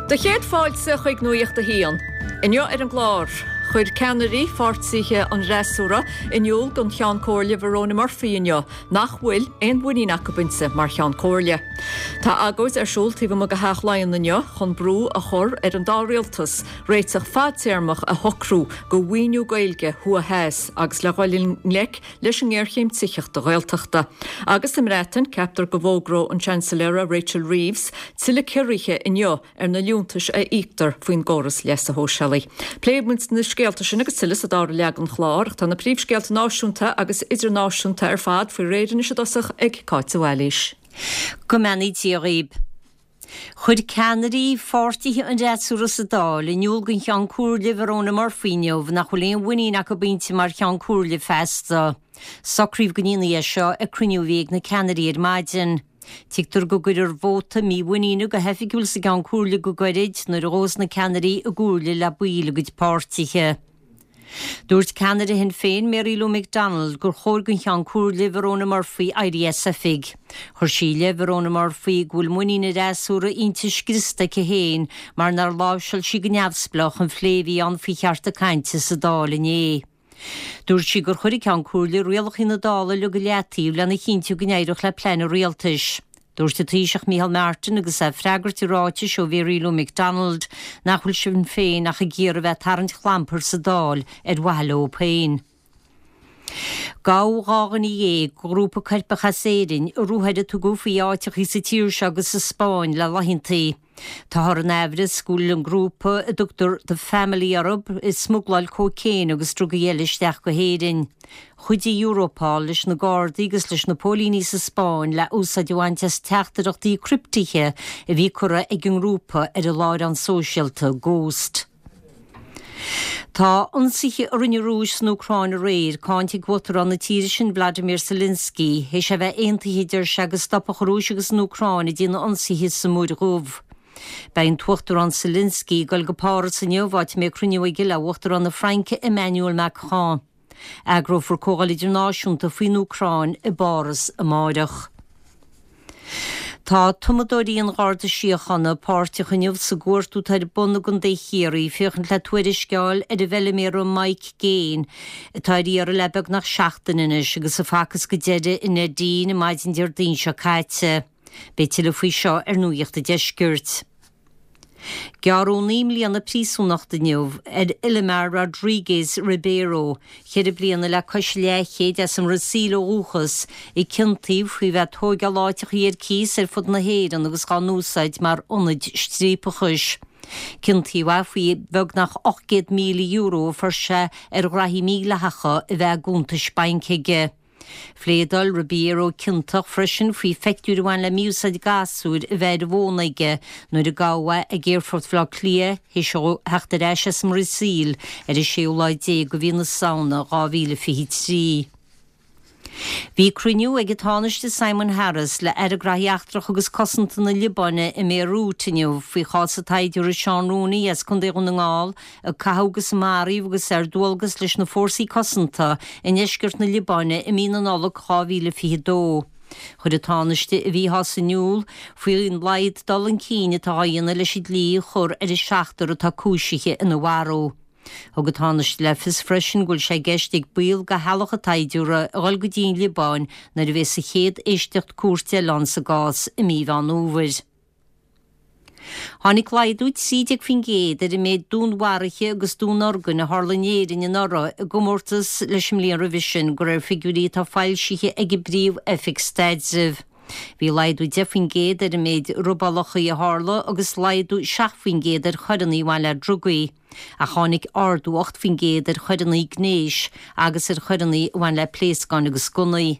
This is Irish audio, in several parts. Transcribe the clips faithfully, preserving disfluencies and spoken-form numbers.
Do chéad fáilte chuig Nuacht a hAon. Inniu ar an gclár, chuir ceannairí pháirtithe an fhreasúra in iúl don Cheann Comhairle Verona Murphy inniu nach bhfuil aon mhuinín acu inti mar Cheann Comhairle. Tá agóid ar siúl taobh amuigh de Theach Laighean inniu chun brú a chur ar an dá rialtas réiteach fadtéarmach a shocrú do mhaoiniú Gaeilge thuaidh theas agus le dhul i ngleic leis an ngéarchéim tithíochta Ghaeltachta. Agus sa mBreatain ceaptar go bhfógróidh an Seansailéir Rachel Reeves tuilleadh ciorruithe inniu ar na liúntais a íoctar faoin gcóras leasa shóisialaigh. Pléifimid na scéalta sin agus tuilleadh sa dara leath den chlár, tá na príomhscéalta náisiúnta agus idirnáisiúnta ar fad faoi réir anois i dtosach ag Cáit Bhailís. Go mbeannaí Dia dhaoibh. Chuir ceannairí pháirtithe an fhreasúra sa Dáil in iúl don Cheann Comhairle Verona Murphy inniu nach bhfuil aon mhuinín acu inti mar Cheann Comhairle feasta. Socraíodh go ndéanfaí é seo ag cruinniú a bhí ag na ceannairí ar maidin. Tuigtear go gcuirfear vóta mímhuiníne go hoifigiúil sa gCeann Comhairle go gairid nuair a ghabhfas na ceannairí i gcomhairle le baill a gcuid páirtithe. Dúirt ceannaire Shinn Féin Mary Lou McDonald gur chóir don Cheann Comhairle Verona Murphy éirí as oifig. Chuir sí i leith Verona Murphy go bhfuil muinín an fhreasúra inti scriosta aici féin mar nár láimhseáil sí go neamhspleách an phlé a bhí ann faoi chearta cainte sa Dáil inné. Dúirt sí gur chuir an Ceann Comhairle rialacha na Dála uilig i leataobh lena chinntiú go n-éireodh le plean an rialtais. Dúirt an Taoiseach Micheál Martin agus é ag freagairt i ráitis ó Mary Lou McDonald nach bhfuil Sinn Féin ach ag iarraidh a bheith ag tarraingt clampair sa Dáil ar mhaithe leo féin. Gabhadh dhá dhuine dhéag de ghrúpa coirpeach as Éirinn i ruathair a tugadh faoi áiteachaí sa tír seo agus sa Spáinn le laethanta. Táthar in aimhreas go bhfuil an grúpa a dtugtar The Family orthu ag smugláil cócaon agus drugaí eile isteach go hÉirinn. Chuidigh Europol leis na Gardaí agus leis na póilíní sa Spáinn le úsáid a bhaint as teachtaireachtaí criptithe a bhí curtha ag an ngrúpa ar an láithreán sóisialta Ghost. Tá ionsaithe a rinne an Rúis san Úcráin aréir cáinte ag Uachtarán na tíre sin Vladimir Zelensky, théis a bheith aontaithe deir sé go stopfadh an Rúis agus an Úcráin ag déanamh ionsaithe sa Mhuir Dhubh. Beidh an tUachtarán Zelensky ag dul go Páras inniu áit a mbeidh cruinniú aige le Uachtarán na Fraince Emmanuel Macron. Eagrófar comhdháil idirnáisiúnta faoin Úcráin i bPáras amárach. Tá tumadóirí an Gharda Síochána páirteach inniu sa gcuartú atá ar bun i gContae Chiarraí féachaint le tuairisc a fháil ar an bhfeilméara Mike Gaine atá ar iarraidh le beagnach seachtain anois agus a facthas go deireadh i Neidín an maidin Déardaoin seo caite. Beidh tuilleadh faoi seo ar Nuacht an Deiscirt. Gearradh naoi mbliana príosúnachta inniu ar Ilimar Rodrigues Ribeiro, ceithre bliana le cois leathchéid as an mBrasaíl ó dhúchas, a ciontaíodh faoi bheith ag tóigeáil áiteachaí ar cíos ar fud na hÉireann agus dhá n-úsáid mar ionaid striapachais. Ciontaíodh é faoi bheagnach ocht gcéad míle euro a fuair sé ar ghraithí mídhleathacha a bheith i gcuntais bainc aige. Phléadáil Ribeiro ciontach freisin faoi phictiúir a bhain le mí-úsáid gasúir a bheith ar an bhfón aige nuair a gabhadh é ag Aerfort Bhaile Átha Cliath théis dó theacht ar ais as an mBrasaíl ar an séú lá déag de mhí na Samhna dhá mhíle fiche trí. Bhí cruinniú ag an Tánaiste Simon Harris le Aire Gnóthaí Eachtracha agus Cosanta na Liobáine i mBéiriút inniu faoi chás an tsaighdiúra Seán Rooney as Contae Dhún na nGall a caitheadh agus a maraíodh agus é ar dualgas leis na fórsaí cosanta i ndeisceart na Liobáine i mí na Nollag dhá mhíle fiche dó. Chuir an Tánaiste a mhíshásamh in iúl faoin laghad dul chun cinn atá á dhéanamh leis an dlí a chur ar an seachtar atá cúisithe ina mharú. Thug an Tánaiste le fios freisin go bhfuil sé i gceist ag baill de theaghlach an tsaighdiúra a dhul go dtí an Liobáin nuair a bheas an chéad éisteacht cúirte eile ann sa gcás i mí Mheán Fhómhair. Tháinig laghdú trí déag faoin gcéad ar an méid dúnmharuithe agus dúnorgain a tharla in Éirinn anuraidh i gcomórtas leis an mbliain roimhe sin, de réir figiúirí atá foilsithe ag an bPríomh-Oifig Staidrimh. Bhí laghdú deich faoin gcéad ar an méid robálacha a tharla agus laghdú seacht faoin gcéad ar choireanna a bhain le drugaí, ach tháinig ardú ocht faoin gcéad ar choireanna gnéis agus ar choireanna a bhain le pléascáin agus gunnaí.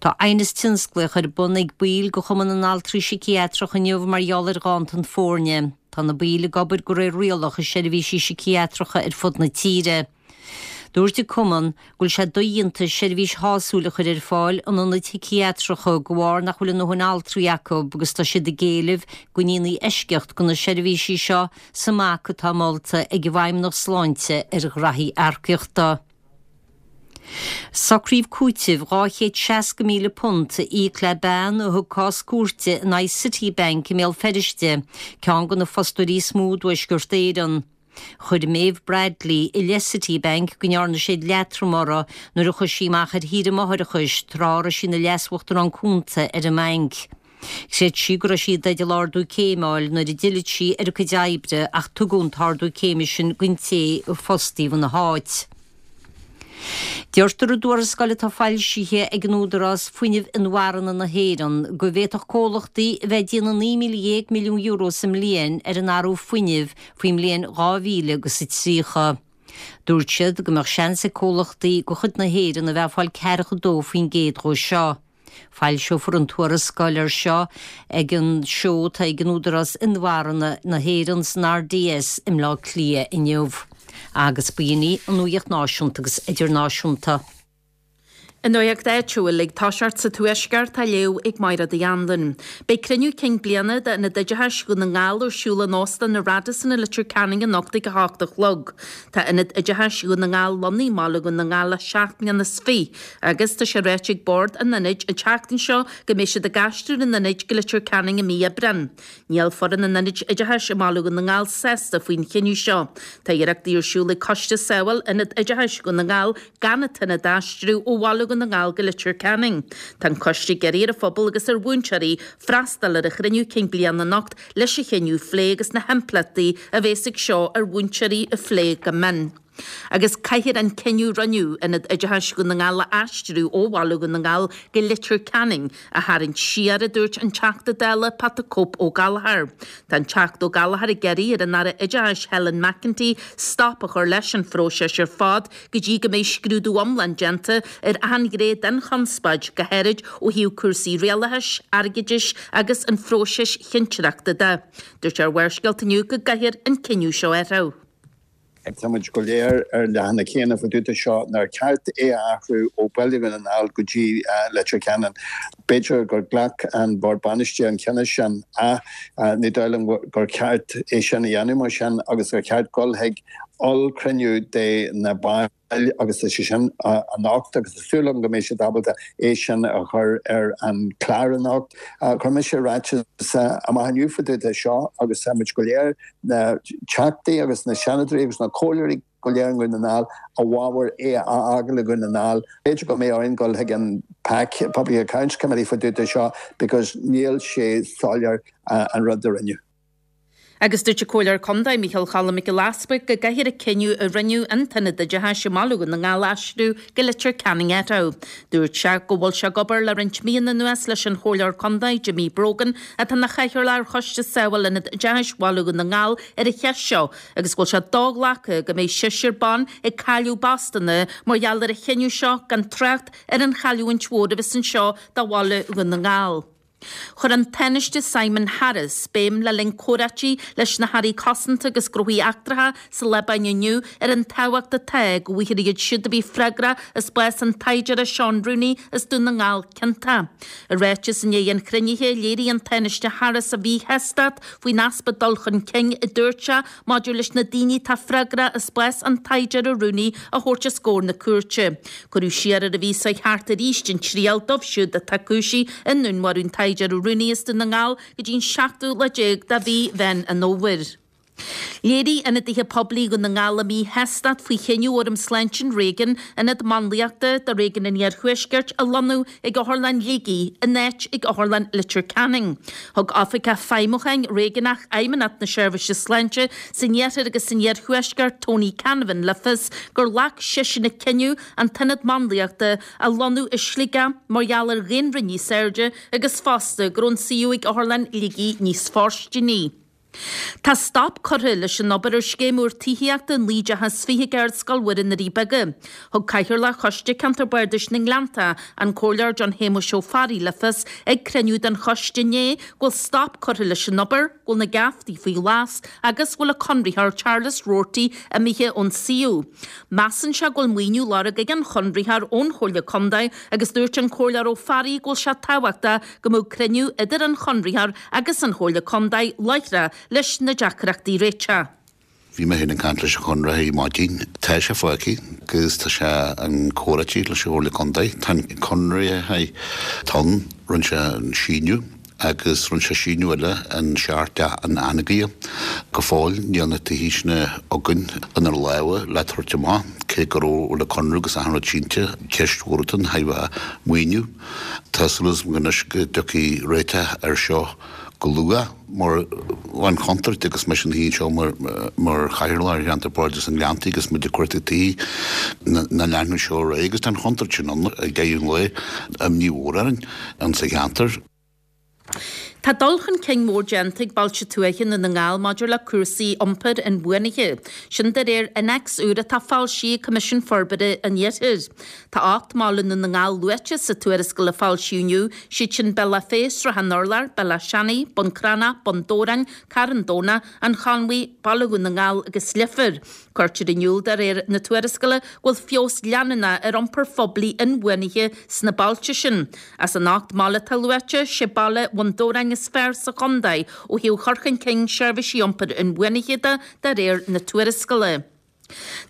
Tá aighneas tionsclaíoch ar bun ag baill de Chumann na nAltraí Síciatrach inniu mar gheall ar ghanntan foirne. Tá na baill ag obair de réir rialach i seirbhísí síciatracha ar fud na tíre. Dúirt an Cumann go bhfuil sé dodhéanta seirbhís shásúil a chur ar fáil in ionaid shíciatracha de bharr nach bhfuil a ndóthain altraí acu agus tá siad ag éileamh go ndéanfaí eisceacht do na seirbhísí seo sa mbac atá molta ag an bhFeidhmeannacht Sláinte ar ghraithí earcaíochta. Socraíodh cúiteamh dhá chéad seasca míle punt a íoc le bean a thug cás cúirte in aghaidh Citibank i mBéal Feirste, ceann de na fostóirí is mó i dTuaisceart Éireann. Chuir Maeve Bradley i leith Citibank go ndearna siad leatrom uirthi nuair a chuaigh sí amach ar shaoire máithreachais tráth a raibh sí ina leas-uachtarán cúnta ar an mbanc. Chreid sí go raibh sí i dteideal ardú céime a fháil nuair a d'fhill sí ar a cuid oibre ach tugadh an t-ardú céime sin don té a fostaíodh ina háit. Deirtear i dtuarascáil atá foilsithe ag an Údarás Fuinnimh Inmharthana na hÉireann go bhféadfadh comhlachtaí a bheith ag déanamh naoi míle dhéag milliún euro sa mbliain ar an athrú fuinnimh faoin mbliain dhá mhíle agus a tríocha. Dúirt siad go mbeadh seans ag comhlachtaí de chuid na hÉireann a bheith ag fáil ceathracha dó faoin gcéad dhó seo. Foilseofar an tuarascáil ar seo ag an seó atá ag an Údarás Inmharthana na hÉireann san RDS i mBleá Cliath inniu. Agus b'in í an nuacht náisiúnta agus idirnáisiúnta. An nuacht áitiúil ag toiseacht sa Tuaisceart á léamh ag Máire Uí Anluain. Beidh cruinniú cinn bliana d'Ionad Oideachais Dhún na nGall ar siúl in Óstán na Radisson i Leitir Ceanainn anocht ag a hocht a chlog. Tá Ionad Oideachais Dhún na nGall lonnaithe i mBaile Dhún na nGall le seacht mbliana is fiche agus tá sé ráite ag Bord an Ionaid an tseachtain seo go mbeidh siad ag aistriú an Ionaid go Leitir Ceanainn i mí Aibreáin. Níl foireann an Ionaid Oideachais i mBaile Dhún na nGall sásta faoin chinneadh seo. Tá iarrachtaí ar siúl ag Coiste Sábháil Ionad Oideachais Dhún na nGall gan an t-ionad a aistriú ó Bhaile Dhún na nGall go Leitir Ceanainn. Tá an coiste ag iarraidh ar an phobal agus ar mhúinteoirí freastal ar an chruinniú cinn bliana anocht leis an chinneadh a phlé agus na himpleachtaí a bheas ag seo ar mhúinteoirí a phlé go mion. Agus caithfear an cinneadh a rinneadh Ionad Oideachais Dhún na nGall a aistriú ó Bhaile Dhún na nGall go Leitir Ceanainn a tharraingt siar, a dúirt an Teachta Dála Pat the Cope Ó Gallchóir. Tá an Teachta Ó Gallchóir ag iarraidh ar an Aire Oideachais Helen McEntee stop a chur leis an phróiseas ar fad go dtí go mbeidh scrúdú iomlán déanta ar achan ghné den chonspóid, go háirid ó thaobh cúrsaí rialachais, airgeadais agus an phróisis chinnteoireachta de. Dúirt sé ar Bharrscéalta inniu go gcaithfear an cinneadh seo a athrú. Tá muid go léir ar leathanach céanna fá dtaobh de seo nár cheart é a athrú ó Bhaile Dhún na nGall go dtí Leitir Ceanainn. B'fhéidir gur ghlac an Bord Bainistí an cinneadh sin ach ní dóigh liom gur cheart é sin a dhéanamh mar sin agus gur cheart dul chuig ollchruinniú de na baill agus tá sé sin anocht agus tá súil agam go mbeidh siad ábalta é sin a chur ar an chlár anocht. Chuir mise ráiteas amach inniu fá dtaobh de seo agus tá muid go léir, na Teachtaí agus na Seanadóirí agus na Comhairleoirí go léir i nDún na nGall, i bhfabhar é a fhágáil i nDún na nGall. B'fhéidir go mbeidh orainn dul chuig an PAC, Public Accounts Committee, fá dtaobh de seo because níl sé soiléir an rud a rinneadh. Agus dúirt an Comhairleoir Contae Micheál Choilm Mac Giolla Easbuig go gcaithfear an cinneadh a rinneadh an tIonad Oideachais i mBaile Dhún na nGall a aistriú go Leitir Ceanainn a athrú. Dúirt sé go bhfuil sé ag obair le roinnt míonna anuas leis an Chomhairleoir Contae Jimmy Brogan atá ina chathaoirleach ar Choiste Sábháil Ionad Oideachais Bhaile Dhún na nGall ar an cheist seo agus go bhfuil sé do-ghlactha go mbeidh seisear ban ag cailleadh a bpostanna mar gheall ar an chinneadh seo gan trácht ar an chailliúint mhór a bheas anseo do Bhaile Dhún na nGall. Chuir an Tánaiste Simon Harris béim le linn comhráití leis na hAirí Cosanta agus Gnóthaí Eachtracha sa Liobáin inniu ar an tábhacht atá go bhfaighfear iad siúd a bhí freagrach as bás an tsaighdiúra Seán Rooney as Dún na nGall ciontach. I ráiteas i ndiaidh an chruinnithe, léirigh an Tánaiste Harris a mhíshástacht faoin easpa dul chun cinn a dúirt sé maidir leis na daoine atá freagrach as bás an tsaighdiúra Rooney a thabhairt os comhair na cúirte. Cuireadh siar ar an mhí seo thart arís an triail dóibh siúd atá cúisithe i ndúnmharú an tsaighdiúra Rooney as Dún na nGall go dtí an seachtú lá déag de mhí Mheán an Fhómhair. Léirigh ionadaithe poiblí Dhún na nGall a míshástacht faoi chinneadh Fhóram Sláinte an Réigiúin ionad máinliachta do Réigiún an Iarthuaiscirt a lonnú ag Otharlann Shligigh in áit ag Otharlann Leitir Ceanainn. Thug Oifigeach Feidhmiúcháin Réigiúnach Fheidhmeannacht na Seirbhíse Sláinte san Iarthar agus san Iarthuaisceart Tony Canavan le fios gur ghlac seisean an cinneadh an t-ionad máinliachta a lonnú i Sligeach mar gheall ar dhaonra níos airde agus fosta go raibh an suíomh ag Otharlann Shligigh níos fóirsteanaí. Tá stop curtha leis an obair ar scéim úr tithíochta naoi dteach is fiche ag Ardscoil Mhuire na nDoirí Beaga. Thug Cathaoirleach Choiste Ceantar Bardais na nGleannta, an Comhairleoir John Shéamuis Ó Fearraigh le fios ag cruinniú den choiste inné go bhfuil stop curtha leis an obair, go bhfuil na geaftaí faoi ghlas agus go bhfuil an conraitheoir Charles Roarty imithe ón suíomh. Measann sé go bhfuil maoiniú á lorg ag an chonraitheoir ón Chomhairle Contae agus dúirt an Comhairleoir Ó Fearraigh go bhfuil sé tábhachtach go mbeadh cruinniú idir an chonraitheoir agus an Chomhairle Contae láithreach leis na deacrachtaí a réiteach. Bhí mé féin ag caint leis an chonraitheoir maidin. Tá sé fágtha agus tá sé an comhráití leis an Chomhairle Contae. Tá an conraitheoir ann, rinne sé an síniú agus rinne sé síniú eile an seart an Anagaidhe. Go fóill níl na tithe sin againn inár lámha le tabhairt amach, cé go raibh le conradh agus achan rud sínte, ceist mhór atá ann, thaobh maoiniú. Tá súil agam anois go dtiocfaidh réiteach air seo go luath mar an chontúirt agus mise ina shuí anseo mar mar chathaoirleach ar cheantar Bardais an Ghleanntaigh agus muid ag cuartú tí nach leanfadh seo ar aghaidh agus tá an chontúirt sin ann ag deireadh an lae, imní mhór orainn insa cheantar. Tá dul chun cinn mór déanta ag bailte tuaithe i nDún na nGall maidir le cúrsaí iompair inbhuanaithe. Sin de réir innéacs úr atá foilsithe ag Coimisiún Forbartha an Iarthair. Tá ocht mbaile i nDún na nGall luaite sa tuarascáil a foilsíodh inniu, siad sin Bealach Féich, Sruthán Urláir, Bealach Seanaidh, Bun Cranncha, Bun Dobhráin, Carn Domhnach, An Chonmhaigh, Baile Dhún na nGall agus Leifear. Cuirtear in iúl de réir na tuarascála go bhfuil feabhas leanúnach ar iompar phoiblí inbhuanaithe sna bailte sin. As an ocht mbaile atá luaite, sé baile Bhun Dobhráin is fearr sa chontae ó thaobh chur chun cinn seirbhísí iompair inbhuanaithe de, de réir na tuarascála.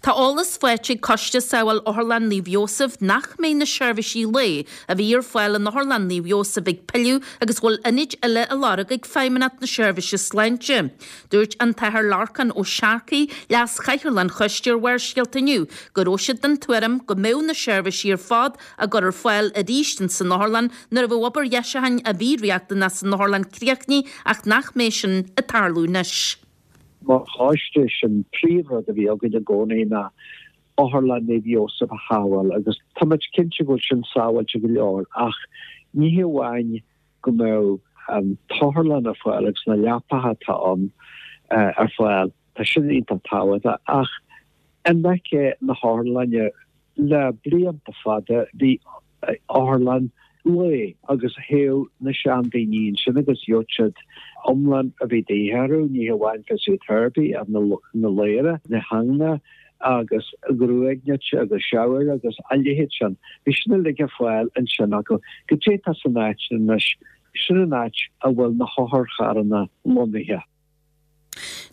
Tá eolas faighte ag Coiste Sábháil Otharlann Naomh Iósaf nach mbeidh na seirbhísí lae a bhí ar fáil in Otharlann Naomh Iósaf ag pilleadh agus go bhfuil ionaid eile á lorg ag Feidhmeannacht na Seirbhíse Sláinte. Dúirt an tAthair Lorcán Ó Searcaigh, Leas-Chathaoirleach an Choiste ar Bharrscéalta inniu, go raibh siad den tuairim go mbeadh na seirbhísí ar fad á gcur ar fáil arís in san otharlann nuair a bheadh obair dheisiúcháin a bhí riachtanach san otharlann críochnaithe ach nach mbeidh sin ag tarlú anois. Mar choiste, sin príomhrud a bhí againn i gcónaí ná Otharlann Naomh Iósaf a shábháil agus tá muid cinnte go bhfuil sin sábháilte go leor ach ní hé amháin go mbeadh an t-otharlann ar fáil agus na leapacha atá ann ar fáil, tá sin iontach tábhachtach ach in aice na hotharlainne le blianta fada bhí otharlann lae agus théadh na seandaoine ansin agus gheobhadh siad iomlán a bhí de dhíth orthu, ní hamháin physiotherapy ach na ladhra, na hingne agus gruaig nite agus shower agus a leithéid sin. Bhí sin uilig ar fáil ansin acu. Goidé atá san áit sin anois, sin an áit a bhfuil na hotharcharranna lonnaithe.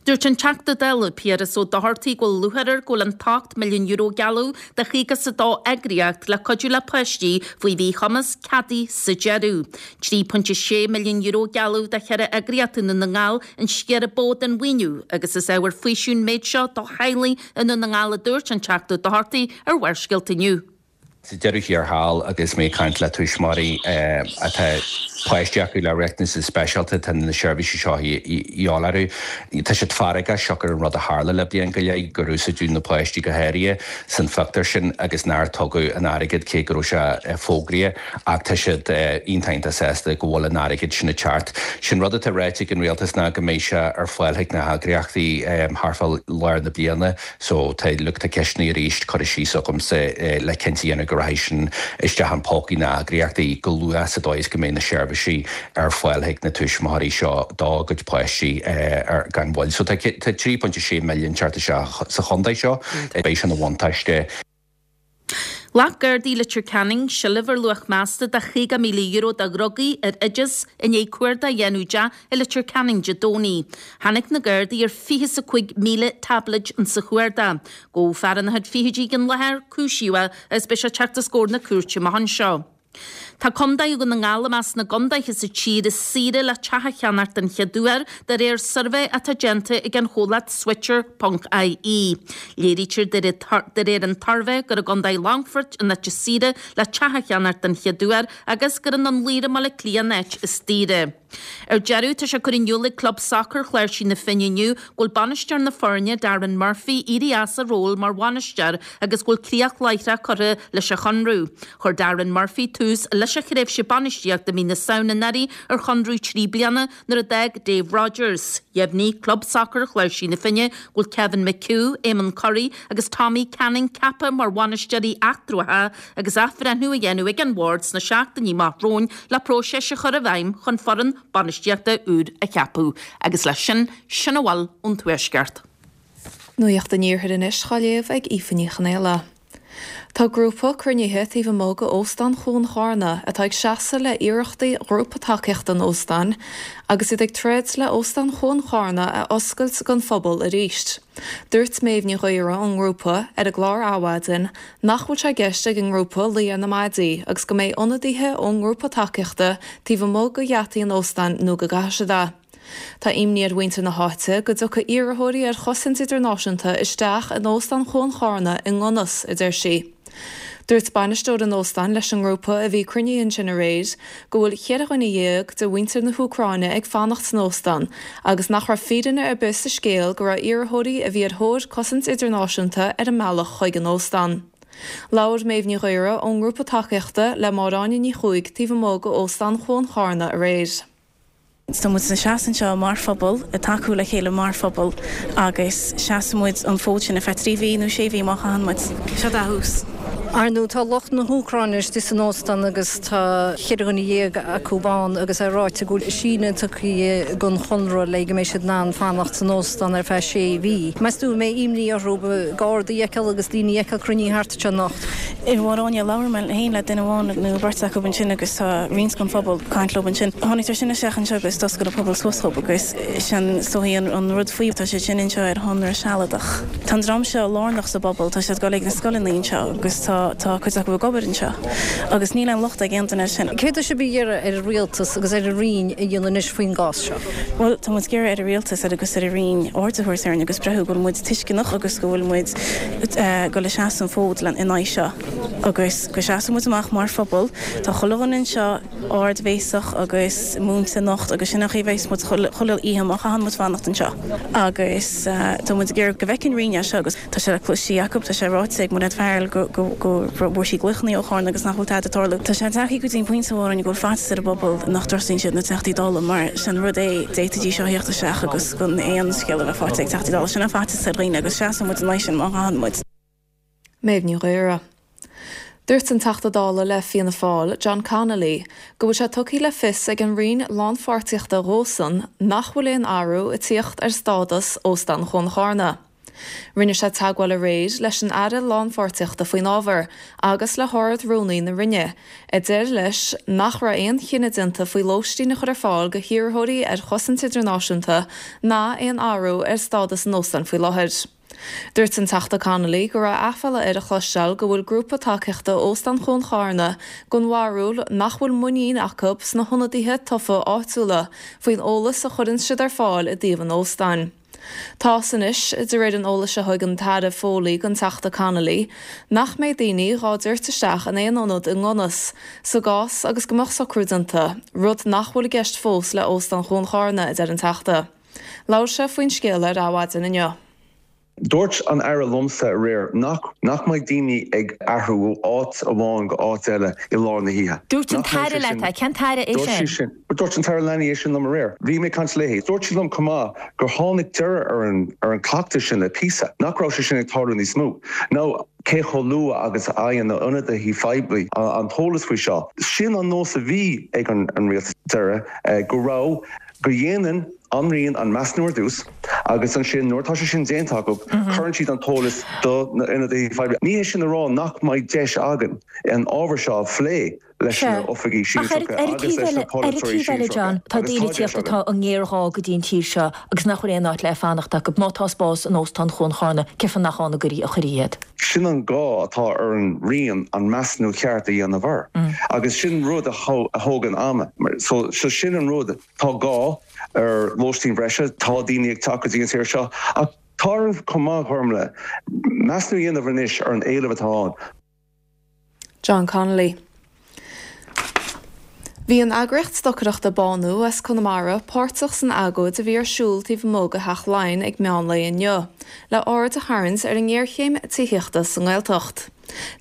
Dúirt an Teachta Dála Piaras Ó Dochartaigh go bhfuil lúcháir air go bhfuil an t-ocht milliún euro a gealladh do chaoga is a dó eagraíocht le cuidiú le páistí faoi mhíchumas ceadaithe sa deireadh. Trí pointe sé milliún euro a gealladh do cheithre eagraíocht i nDún na nGall an sciar ba mhó den mhaoiniú agus is ábhar faoisimh an méid seo do theaghlaigh i nDún na nGall a dúirt an Teachta Ó Dochartaigh ar Bharrscéalta inniu. Sa deireadh thiar thall agus mé ag caint le tuismitheoirí atá páistí acu le riachtanais speisialta, tá na seirbhísí seo de dhíobháil orthu. Tá siad feargach siocair an rud a tharla le bliain go leith, gur úsáideadh na páistí go háirithe san phictiúr sin agus nár tugadh an airgead cé go raibh sé fógraithe ach tá siad iontach iontach sásta go bhfuil an airgead sin ag teacht. Sin rud atá ráite ag an rialtas ná go mbeidh sé ar fáil chuig na heagraíochtaí thart fá lár na bliana. So tá look tá ceisteanna arís curtha síos agamsa le cinnte a dhéanamh go rachaidh sin isteach in pócaí na n-eagraíochtaí go luath sa dóigh is go mbeidh na seirbhísí ar fáil chuig na tuismitheoirí seo dá gcuid páistí ar gan mhoill. So tá trí pointe sé milliún teacht isteach sa chontae seo, beidh sin ina bhuntáiste. Ghlac Gardaí Leitir Ceanainn seilbh ar luach measta de chaoga míle euro de dhrugaí ar oideas i ndiaidh cuardach a dhéanamh i dteach i Leitir Ceanainn Dé Domhnaigh. Tháinig na Gardaí ar fiche is a cúig míle táibléid insa chuardach. Gabhadh fear ina chuid fichidí ag an láthair, cúisíodh é agus beidh sé ag teacht os comhair na cúirte amach anseo. Tá Contae Dhún na nGall i measc na gcontaetha sa tír is saoire le teach a cheannacht den chéad uair, de réir suirbhé atá déanta ag an chomhlacht Switcher ponc IE. Léirítear de réir an tsuirbhé gur i gContae Longfoirt an áit is saoire le teach a cheannacht den chéad uair agus gur i nDún Laoghaire i mBaile Átha Cliath an áit is daoire. Ar deireadh, tá sé curtha in iúl ag Club Sacair Chláirsigh na Finne inniu go bhfuil bainisteoir na foirne, Darren Murphy, éirithe as a ról mar bhainisteoir agus go bhfuil críoch láithreach curtha leis a chonradh. Chuir Darren Murphy tús leis a thréimhse bainistíochta i mí na Samhna anuraidh ar chonradh trí bliana nuair a d'fhág Dave Rogers. Dheimhnigh Club Sacair Chláirsigh na Finne go bhfuil Kevin McHugh, Eamon Currie agus Tommy Canning ceaptha mar bhainisteoirí eatramhacha agus athbhreithniú á dhéanamh ag an bhord sna seachtainí amach romhainn le próiseas a chur i bhfeidhm chun foireann bainistíochta úr a cheapadh. Agus leis sin, sin a bhfuil ón Tuaisceart. Nuacht an Iarthair anois á léamh ag Aoife Ní Chonaola. Tá grúpa cruinnithe taobh amuigh de Óstán Chuan Charna atá ag seasamh le hiarrachtaí ghrúpa tacaíochta an óstáin agus iad ag troid le Óstán Chuan Charna a oscailt don phobal arís. Dúirt Méabh Ní Ghaora ón ngrúpa ar an gclár Adhmhaidin nach bhfuil sé i gceist ag an ngrúpa luí ar na maidí agus go mbeidh ionadaithe ón ngrúpa tacaíochta taobh amuigh de gheataí an óstáin nó go gcaithfidh siad é. Tá imní ar mhuintir na háite go dtiocfaidh iarrthóirí ar chosaint idirnáisiúnta isteach in Óstán Chuan Charna i nDonas, a deir sí. Dúirt bainisteoir an óstáin leis an ngrúpa a bhí cruinnithe ansin aréir go bhfuil cheithre dhuine dhéag de mhuintir na hÚcráine ag fanacht san óstán agus nach raibh fírinne ar bith sa scéal go raibh iarrthóirí a bhí ar thóir cosaint idirnáisiúnta ar a mbealach chuig an óstán. Labhair Méabh Ní Ghaora ón ngrúpa tacaíochta le Máire Áine Ní Chuaig taobh amuigh de Óstán Chuan Charna aréir. Tá muid ina seasamh anseo mar phobal, ag tacú le chéile mar phobal agus seasfaidh muid an fód sin ar feadh trí mhí nó sé mhí má chaitheann muid. Seo dá thús. Ar ndóigh tá lucht na hÚcráine istigh san óstán agus tá cheithre dhuine dhéag acu ann agus é ráite go bhfuil síneadh tugtha don chonradh le go mbeidh siad in ann fanacht san óstán ar feadh sé mhí. Meas tú an mbeidh imní orthu gardaí a fheiceáil agus daoine a fheiceáil cruinnithe thart anseo anocht? A Mháire Áine, labhair mé féin le duine amháin nó beirt acu ansin agus tá roinnt den phobal ag caint leo ansin. Tháinig siad sin isteach anseo agus d'oscail an pobal suas dhób agus sin is dóichí an rud faoi, tá siad sin anseo ar chonradh sealadach. Tá an dream seo lárnach sa bpobal, tá siad ag dul ag na scoileanna anseo agus tá tá cuid acu ag obair anseo agus níl aon locht ag aon duine air sin. Céard tá sibh ag iarraidh ar an rialtas agus ar an Roinn a dhéanamh anois faoin gcás seo? Bhuel, tá muid ag iarraidh ar an rialtas agus ar an Roinn aird a thabhairt orainn agus breathnú go bhfuil muid tuisceanach agus go bhfuil muid ag dul a seasamh an fód in aghaidh seo agus go seasfaidh muid amach mar phobal. Tá chuile dhuine anseo ardbhéasach agus múinte anocht agus sin an chaoi a bheas muid chuile oíche má chaitheann muid fanacht anseo agus tá muid ag iarraidh go bhfeiceann an Roinn é seo agus tá sé le cloiste acu, tá sé ráite ag Mairéad Farrell go go bhfuair sí glaochanna ó Chárna agus nach bhfuil tada ag tarlú. Tá sé tagtha go dtí an pointe amháin go bhfuil faitíos ar an bpobal nach dtrustaíonn siad na Teachtaí Dála mar sin rud é d'fhéadfaidís seo a theacht isteach agus gan aon scéal a bheith faighte ag Teachtaí Dála. Sin an faitíos ar dhaoine agus seasann muid in aghaidh sin má chaitheann muid. Méabh Ní Ghaora. Dúirt an Teachta Dála le Fianna Fáil, John Connolly, go bhfuil sé tugtha le fios ag an Roinn Lánpháirtíochta dhósan nach bhfuil aon athrú ag tíocht ar stádas Óstán Chuan Charna. Rinne sé teagmháil aréir leis an Aire Lánpháirtíochta faoin ábhar agus le hArd-Rúnaí na Roinne, a deir leis nach raibh aon chinneadh déanta faoi lóistín a chur ar fáil go hiarrthóirí ar chosaint idirnáisiúnta ná aon athrú ar stádas an óstáin faoi láthair. Dúirt an Teachta Connolly go raibh aiféala air a chloisteáil go bhfuil grúpa tacaíochta Óstán Chuan Charna den bharúil nach bhfuil muinín acu sna hionadaithe tofa áitiúla faoin eolas a chuireann siad ar fáil i dtaobh an óstáin. Tá's anois, de réir an eolais a thug an tAire Foley don Teachta Connolly, nach mbeidh daoine dhá dtabhairt isteach in aon ionad i nDonas, sa gcás agus go mbeadh socrú déanta, rud nach bhfuil i gceist fós le Óstán Chuan Charna, a deir an Teachta. Labhair sé faoin scéal ar Adhmhaidin inniu. Dúirt an Aire liomsa aréir nach nach mbeidh daoine ag athrú ó áit amháin go áit eile i lár na hoíche. Dúirt an tAire leat é, cén tAire é sin? sin? Dúirt an tAire Leanaí é sin liom aréir. Bhí mé ag caint léi. Dúirt sí liom chomh maith gur tháinig deireadh ar an ar an cleachtadh sin le píosa, nach raibh sé sin ag tarlú níos mó. Now cé chomh luath agus a fhaigheann na ionadaithe phoiblí an t-eolas faoi seo. Sin an nós a bhí ag an an rialtas deireadh go raibh go dhéanann an Roinn an measúnú ar dtús agus ansin nuair atá sé sin déanta acu cuireann siad an t-eolas do na ionadaithe phoiblí. Ní hé sin a rá nach mbeidh deis againn an ábhar seo a phlé leis na oifigigh sinsearacha agus leis na polaiteoirí sinsearacha John, tá daoine ag tíocht atá i ngéarghá go dtí an tír seo agus nach bhfuil aon áit le fanacht acu. Má tá spás in Óstán Chuan Charna, cén fáth nach ann a gcuirí a chuirí iad? Sin an gá atá ar an Roinn an measúnú ceart a dhéanamh air agus sin rud a thógann ama. So sin an rud. Tá gá ar lóistín bhreise, tá daoine ag teacht go dtí an tír seo, ach tá orainn chomh maith, Gormlaith, measúnú a dhéanamh anois ar an éileamh atá ann. John Connolly. Bhí an eagraíocht stocaireachta Bánú as Conamara páirteach san agóid a bhí ar siúl taobh amuigh de Theach Laighean ag meán lae inniu, le aird a tharraingt ar an ngéarchéim tithíochta sa nGaeltacht.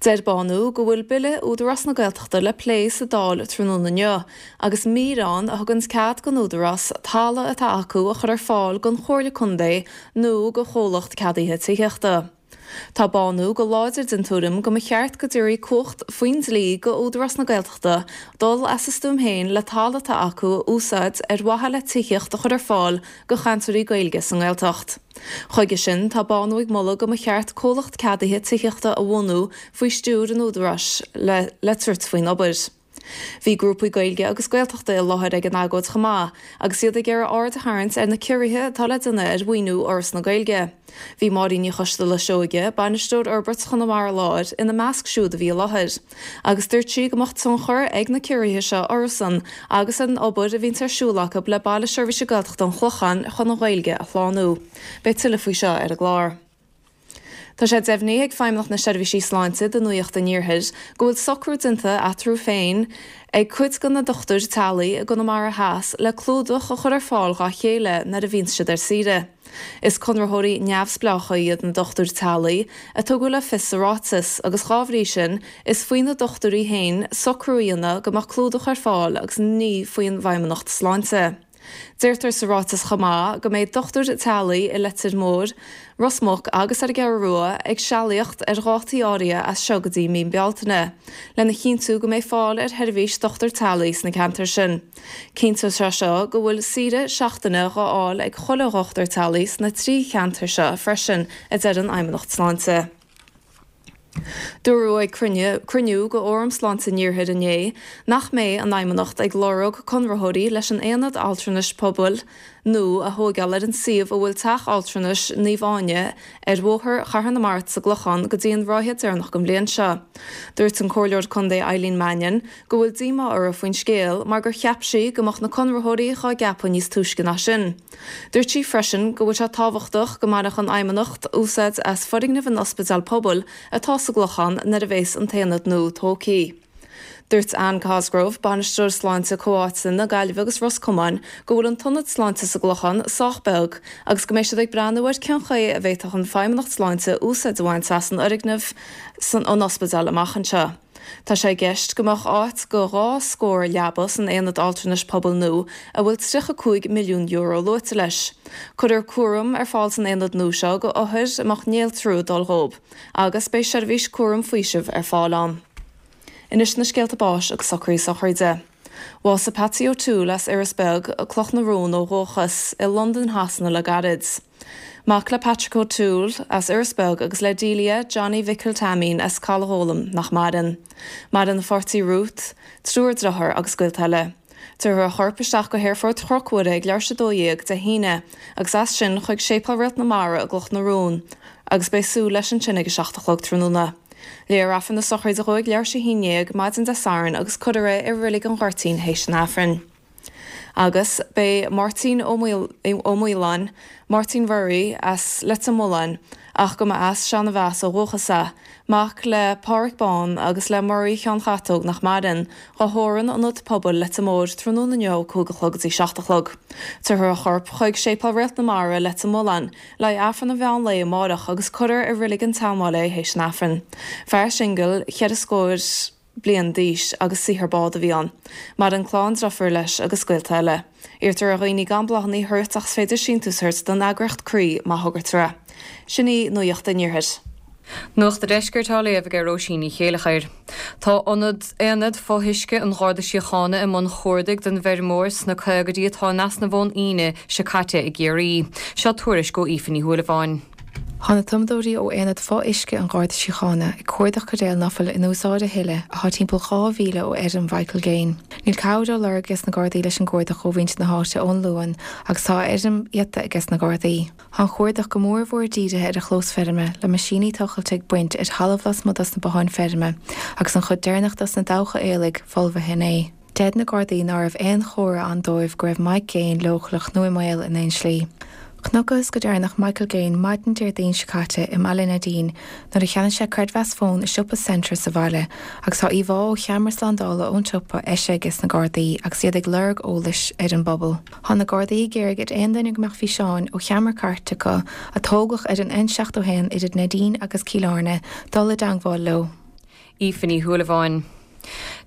Deir Bánú go bhfuil Bille Údarás na Gaeltachta le plé sa Dáil tráthnóna inniu agus mír ann a thugann cead don Údarás talamh atá acu a chur ar fáil don Chomhairle Contae nó do chomhlacht ceadaithe tithíochta. Tá Bánú go láidir den tuairim go mba cheart go dtabharfaí cumhacht faoin dlí go Údarás na Gaeltachta dul as a stuaim féin le talamh atá acu a úsáid ar mhaithe le tithíocht a chur ar fáil go chainteoirí Gaeilge sa nGaeltacht. Chuige sin, tá Bánú ag moladh go mba cheart comhlacht ceadaithe tithíochta a bhunú faoi stiúir an Údaráis le le tabhairt faoin obair. Bhí grúpaí Gaeilge agus Gaeltachta i láthair ag an agóid chomh maith, agus iad ag iarraidh aird a tharraingt ar na ciorruithe atá le déanamh ar mhaoiniú Fhoras na Gaeilge. Bhí Máirín Ní Choisdealbha Seoige, bainisteoir Fhorbairt Chonamara Láir, ina measc siúd a bhí i láthair. Agus dúirt sí go mbeadh tionchar ag na ciorruithe seo orthusan agus ar an obair a bhíonn ar siúl acu le Baile Seirbhíse Gaeltachta an Chlocháin chun an Ghaeilge a shlánú. Beidh tuilleadh faoi seo ar an gclár. Tá sé deimhnithe ag Feidhmeannacht na Seirbhísí Sláinte do Nuacht an Iarthair go bhfuil socrú déanta eatarthu féin ag cuid de na dochtúirí teaghlaigh i gConamara Theas le clúdach a chur ar fáil dá chéile nuair a bhíonn siad ar saoire. Is conraitheoirí neamhspleácha iad na dochtúirí teaghlaigh, a tugadh le fios sa ráiteas, agus dhá bhrí sin, is faoi na dochtúirí féin socrú a dhéanamh go mbeadh clúdach ar fáil agus ní faoin bhFeidhmeannacht Sláinte. Deirtear sa ráiteas chomh maith go mbeidh dochtúir teaghlaigh i Leitir Móir, Ros Muc agus ar an gCeathrú Rua ag sealaíocht ar dhátaí áirithe as seo go dtí mí Bealtaine, lena chinntiú go mbeidh fáil ar sheirbhís dochtúir teaghlaigh sna ceantair sin. Cinnteoidh sé seo go bhfuil saoire seachtaine dhá fháil ag chuile dhochtúir teaghlaigh sna trí cheantar seo freisin, a deir an Fheidhmeannacht Sláinte. Dúradh ag cruinniú de Fhóram Sláinte an Iarthair inné nach mbeidh an Fheidhmeannacht ag lorg conraitheoirí leis an Aonad Altranais Pobail nua a thógáil ar an suíomh a bhfuil Teach Altranais Naomh Áine ar Bhóthar Chathair na Mart sa gClochán go dtí an ráithe deireanach den bhliain seo. Dúirt an Comhairleoir Contae Eileen Mannion go bhfuil díomá uirthi faoin scéal mar gur cheap sí go mbeadh na conraitheoirí dhá gceapadh níos túisce ná sin. Dúirt sí freisin go bhfuil sé tábhachtach go mbainfeadh an Fheidhmeannacht úsáid as foirgneamh an ospidéil pobail atá sa gClochán nuair a bheas an t-aonad nua tógtha. Dúirt Anne Cosgrove, Bainisteoir Sláinte Comhtháite na Gaillimhe agus Ros Comáin, go bhfuil an t-ionad sláinte sa gClochán sách beag agus go mbeidh siad ag breathnú ar cén chaoi a bhféadfadh an Feidhmeannacht Sláinte úsáid a bhaint as an fhoirgneamh san an ospidéal amach anseo. Tá sé i gceist go mbeadh áit go dhá scór leaba san Aonad Altranais Pobail nua a bhfuil tríocha cúig milliún euro luaite leis. Cuirfear cúram ar fáil san aonad nua seo go othair a mbeadh néaltrú ag dul dhóibh agus beidh seirbhís cúram faoisimh ar fáil ann. Anois na scéalta báis agus socruithe sochraide. Bhásaigh Patsy O'Toole as Iorras Beag, Cloch na Rón ó dhúchas, i Londain Shasana le gairid. Mac le Patrick O'Toole as Iorras Beag agus le Delia Johnny Mhicil Taimín as Caladh Gólaim nach maireann. Maireann a pháirtí Ruth, triúr dearthár agus gaolta eile. Tabharfar a chorp isteach go hAerfort Chnoc Mhuire ag leathuair tar éis a dó dhéag Dé hAoine agus as sin chuig Séipéal Réalt na Mara i gCloch na Rón agus beidh súil leis ansin ag a seacht a chlog tráthnóna. Léifear Aifreann na sochraide dhó ag leathuair tar éis a haon déag maidin Dé Sathairn agus cuirfear é i Reilig an Ghoirtín théis an Aifrinn. Agus beidh Máirtín Ó Maoláin, Máirtín Mhurray, as Leitir Mealláin, ach go mba as Seanadh Mheas ó dhúchas é, mac le Pádhraic Bán agus le Murray Sheáin Chatóg nach maireann, dhá thórramh in Ionad Pobail Leitir Móir tráthnóna inniu ó cúig a chlog go dtí seacht a chlog. Tabharfar a chorp chuig Séipéal Réalt na Mara, Leitir Mealláin, le haghaidh Aifreann an mheán lae amárach agus cuirfear i Reilig an tSeanbhaile é théis an Aifrinn. Fear singil, cheithre scór bliain d'aois agus saothar bád a bhí ann. Maireann clann deirfiúr leis agus gaolta eile. Iarrtar ar dhaoine gan bláthanna a thabhairt ach is féidir síntiús a thabhairt don eagraíocht Croí má thograítear é. Sin í Nuacht an Iarthair. Nuacht an Deiscirt á léamh ag Róisín Ní Chéilleachair. Tá ionad Aonad Fo-Uisce an Gharda Síochána i mbun chuardaigh don bhfeirmeoir sna caogaidí atá in easnamh ón Aoine seo caite i gCiarraí. Seo tuairisc ó Aoife Ní Shúilleabháin. Tá na tumadóirí ó Aonad Fo-Uisce an Gharda Síochána ag cuardach caidéal ná fuil in úsáid a thuilleadh atá timpeall dhá mhíle ó fheirm Mhichael Gaine. Níl cabhair á lorg ages na Gardaí leis an gcuardach ó mhuintir na háite ón Luan agus tá a fheirm iata ages na Gardaí. Tá an cuardach go mór mhór dírithe ar a chlós feirme, le meaisíní tochailte ag baint ar thalamh lasmuigh dos na botháin feirme agus an chuid deireanach dos na dabhcha aoiligh folmhaithe inné. Deir na Gardaí ná raibh aon chomhartha ann dóibh go raibh Mike Gaine leochaileach nó i mbaol in aon slí. Chonacthas go deireanach Michael Gaine maidin Déardaoin seo caite i mBaile Neidín nuair a cheannaigh sé creidmheas fóin i siopa Centra sa bhaile agus tá íomhá ó cheamara slándála ón tsiopa eisithe ages na Gardaí agus iad ag lorg eolais ar an bpobal. Tá na Gardaí ag iarraidh ar aon duine go mbeadh físeáin ó cheamara cairt acu a tógadh ar an N seachtó a haon idir Neidín agus Cill Airne dul i dteangmháil leo. Aoife Ní Shúilleabháin.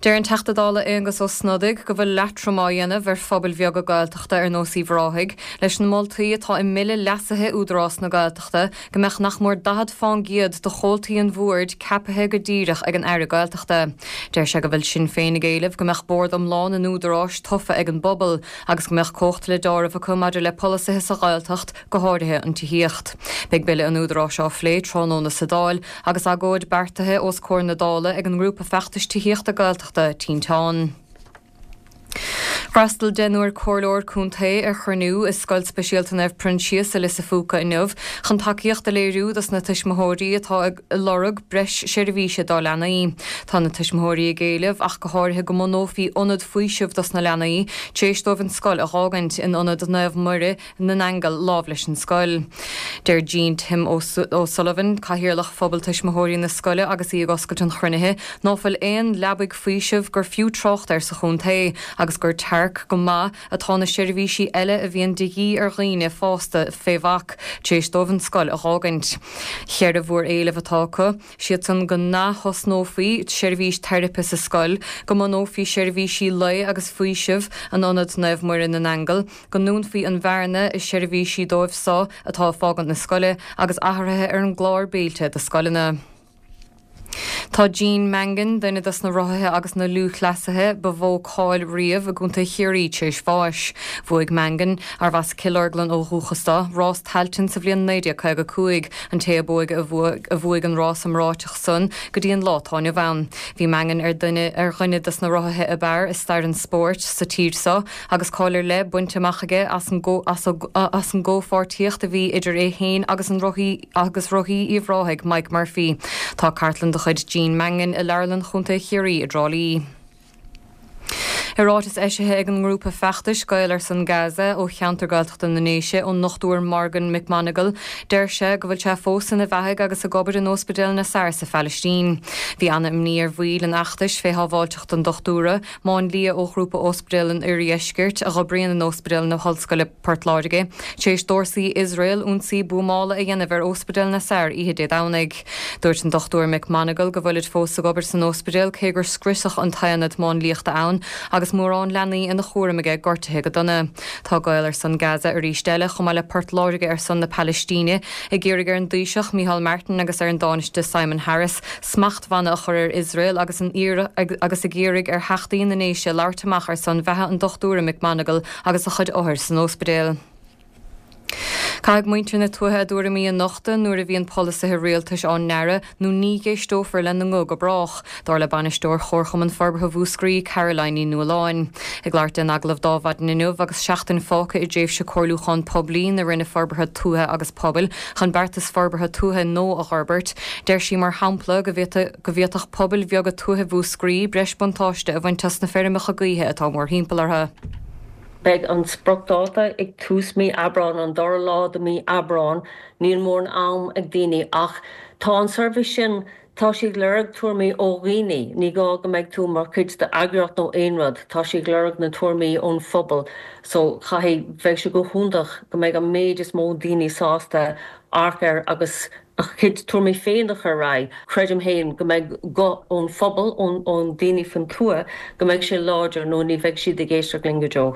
Deir an Teachta Dála Aengus Ó Snodaigh go bhfuil leatrom á dhéanamh ar phobail bheaga Gaeltachta ar nós Uíbh Ráthaigh leis na moltaí atá i mBille leasaithe Údarás na Gaeltachta go mbeadh nach mór daichead fán gcéad de chomhaltaí an bhoird ceaptha go díreach ag an Aire Gaeltachta. Deir sé go bhfuil Sinn Féin ag éileamh go mbeadh bord iomlán an Údaráis tofa ag an bpobal agus go mbeadh cumhacht le deáramh acu maidir le polasaithe sa Ghaeltacht, go háirithe an tithíocht. Beidh Bille an Údaráis á phlé tráthnóna sa Dáil agus agóid beartaithe os comhair na Dála ag an ngrúpa feachtais tithíochta Gaeltachta, Tinteán. D'fhreastail deichniúr comhairleoir contae ar chruinniú i Scoil Speisialta Naomh Proinsias i Lios a' Phúca inniu chun tacaíocht a léiriú dos na tuismitheoirí atá ag lorg breis seirbhíse dá leanaí. Tá na tuismitheoirí ag éileamh ach go háirithe go mbunófaí ionad faoisimh dos na leanaí tar éis dóibh an scoil a dh'fhágaint in Ionad Naomh Muire na nAingeal lámh leis an scoil. Deir Jean Tim O'Sullivan, Cathaoirleach Phobal Tuismitheoirí na scoile agus í ag oscailt an chruinnithe, ná fuil aon leabaidh faoisimh gur fiú trácht air sa chontae agus gur tearc go maith atá na seirbhísí eile a bhíonn de dhíth ar dhaoine fásta fé bhac tar éis dóibh an scoil a dh'fhágaint. Cheithre mhór-éileamh atá acu, siad san go n-ath-thosnófaí seirbhís teiripe sa scoil, go mbunófaí seirbhísí lae agus faoisimh in Ionad Naomh Muire na nAingeal, go ndúnfaí an bhearna i seirbhísí dóibh so atá ag fágaint na scoile, agus athruithe ar an gclár béilte do scoileanna. Tá Gene Mangan, duine dos na rothaithe agus na lúthchleasaithe ba mhó cáil riamh i gContae Chiarraí tar éis bháis. Bhuaigh Mangan, arbh as Cill Orglan ó dhúchas dó, rás Tailteann sa bhliain naoi déag caoga a cúig, an té ab óige a bhuaigh an rás iomráiteach san go dtí an lá atá inniu ann. Bhí Mangan ar duine ar dhuine dos na rothaithe ab fhearr i stair an spóirt sa tír so agus cáil ar leith bainte amach aige as an as an gcomhpháirtíocht a bhí idir é féin agus an rothaí agus rothaí Uíbh Ráthaigh, Mike Murphy. Tá cartlann de chuid Gene Mangan i Leabharlann Chontae Chiarraí i dTrá Lí. I ráiteas eisithe ag an ngrúpa feachtais Gael ar son Gaza ó cheantar Gaeltachta na nDéise ón nDochtúir Morgan McMonagle, deir sé go bhfuil sé fós ina bheathaidh agus ag obair in Ospidéal Nasser sa Phalaistín. Bhí ana-imní ar bhaill an fheachtais fé shábháilteacht an dochtúra, máinlia ó Ghrúpa Ospidéal an Oirdheiscirt, a dh'oibríonn in Ospidéal na hOllscoile Port Láirge, tar éis d'fhórsaí Iosrael ionsaí buamála a dhéanamh ar Ospidéal Nasser oíche Dé Domhnaigh. Dúirt an Dochtúir McMonagle go bhfuilid fós ag obair san ospidéal cé gur scriosadh an t-aonad máinliachta ann agus mórán leanaí ina chúram aige gortaithe go dona. Tá Gael ar son Gaza arís eile, chomh maith le Port Láirge ar son na Palaistíne, ag iarraidh ar an dTaoiseach Micheál Martin agus ar an dTánaiste Simon Harris smachtbhanna a chur ar Iosrael agus agus ag iarraidh ar Theachtaí na nDéise labhairt amach ar son bheatha an Dochtúra McMonagle agus a chuid othar san ospidéal. Caithfidh muintir na tuaithe a dtuairimí a nochtadh nuair a bhíonn polasaithe rialtais á ndearadh nó ní dh'éisteofar lena nguth go brách, dar le bainisteoir Chomharchumann Forbartha Mhúscraí, Caroline Ní Nualláin. Ag labhairt di in agallamh d'Adhmhaidin inniu agus seachtain fágtha i dtréimhse comhairliúchán poiblí na Roinne Forbartha Tuaithe agus Pobail chun beartas forbartha tuaithe nua a dh'fhorbairt, deir sí mar shampla go bhféadfadh pobail bheaga tuaithe Mhúscraí breis buntáiste a bhaint as na feirmeacha gaoithe atá mórthimpeall orthu. Beidh an spriocdháta ag tús mí Aibreán, an dara lá de mí Aibreán. Níl mórán am ag daoine ach tá an suirbhé sin, tá sé ag lorg tuairimí ó dhaoine, ní gá go mbeidh tú mar chuid d'eagraíocht nó aon rud, tá sé ag lorg na tuairimí ón phobal so caithfidh, bheadh sé go hiontach go mbeidh an méid is mó daoine sásta amharc air agus a gcuid tuairimí féin a chur ar aghaidh. Creidim féin go mbeidh guth ón phobal, ón daoine faoin tuath, go mbeidh sé láidir nó ní bheidh siad ag éisteacht linn go deo.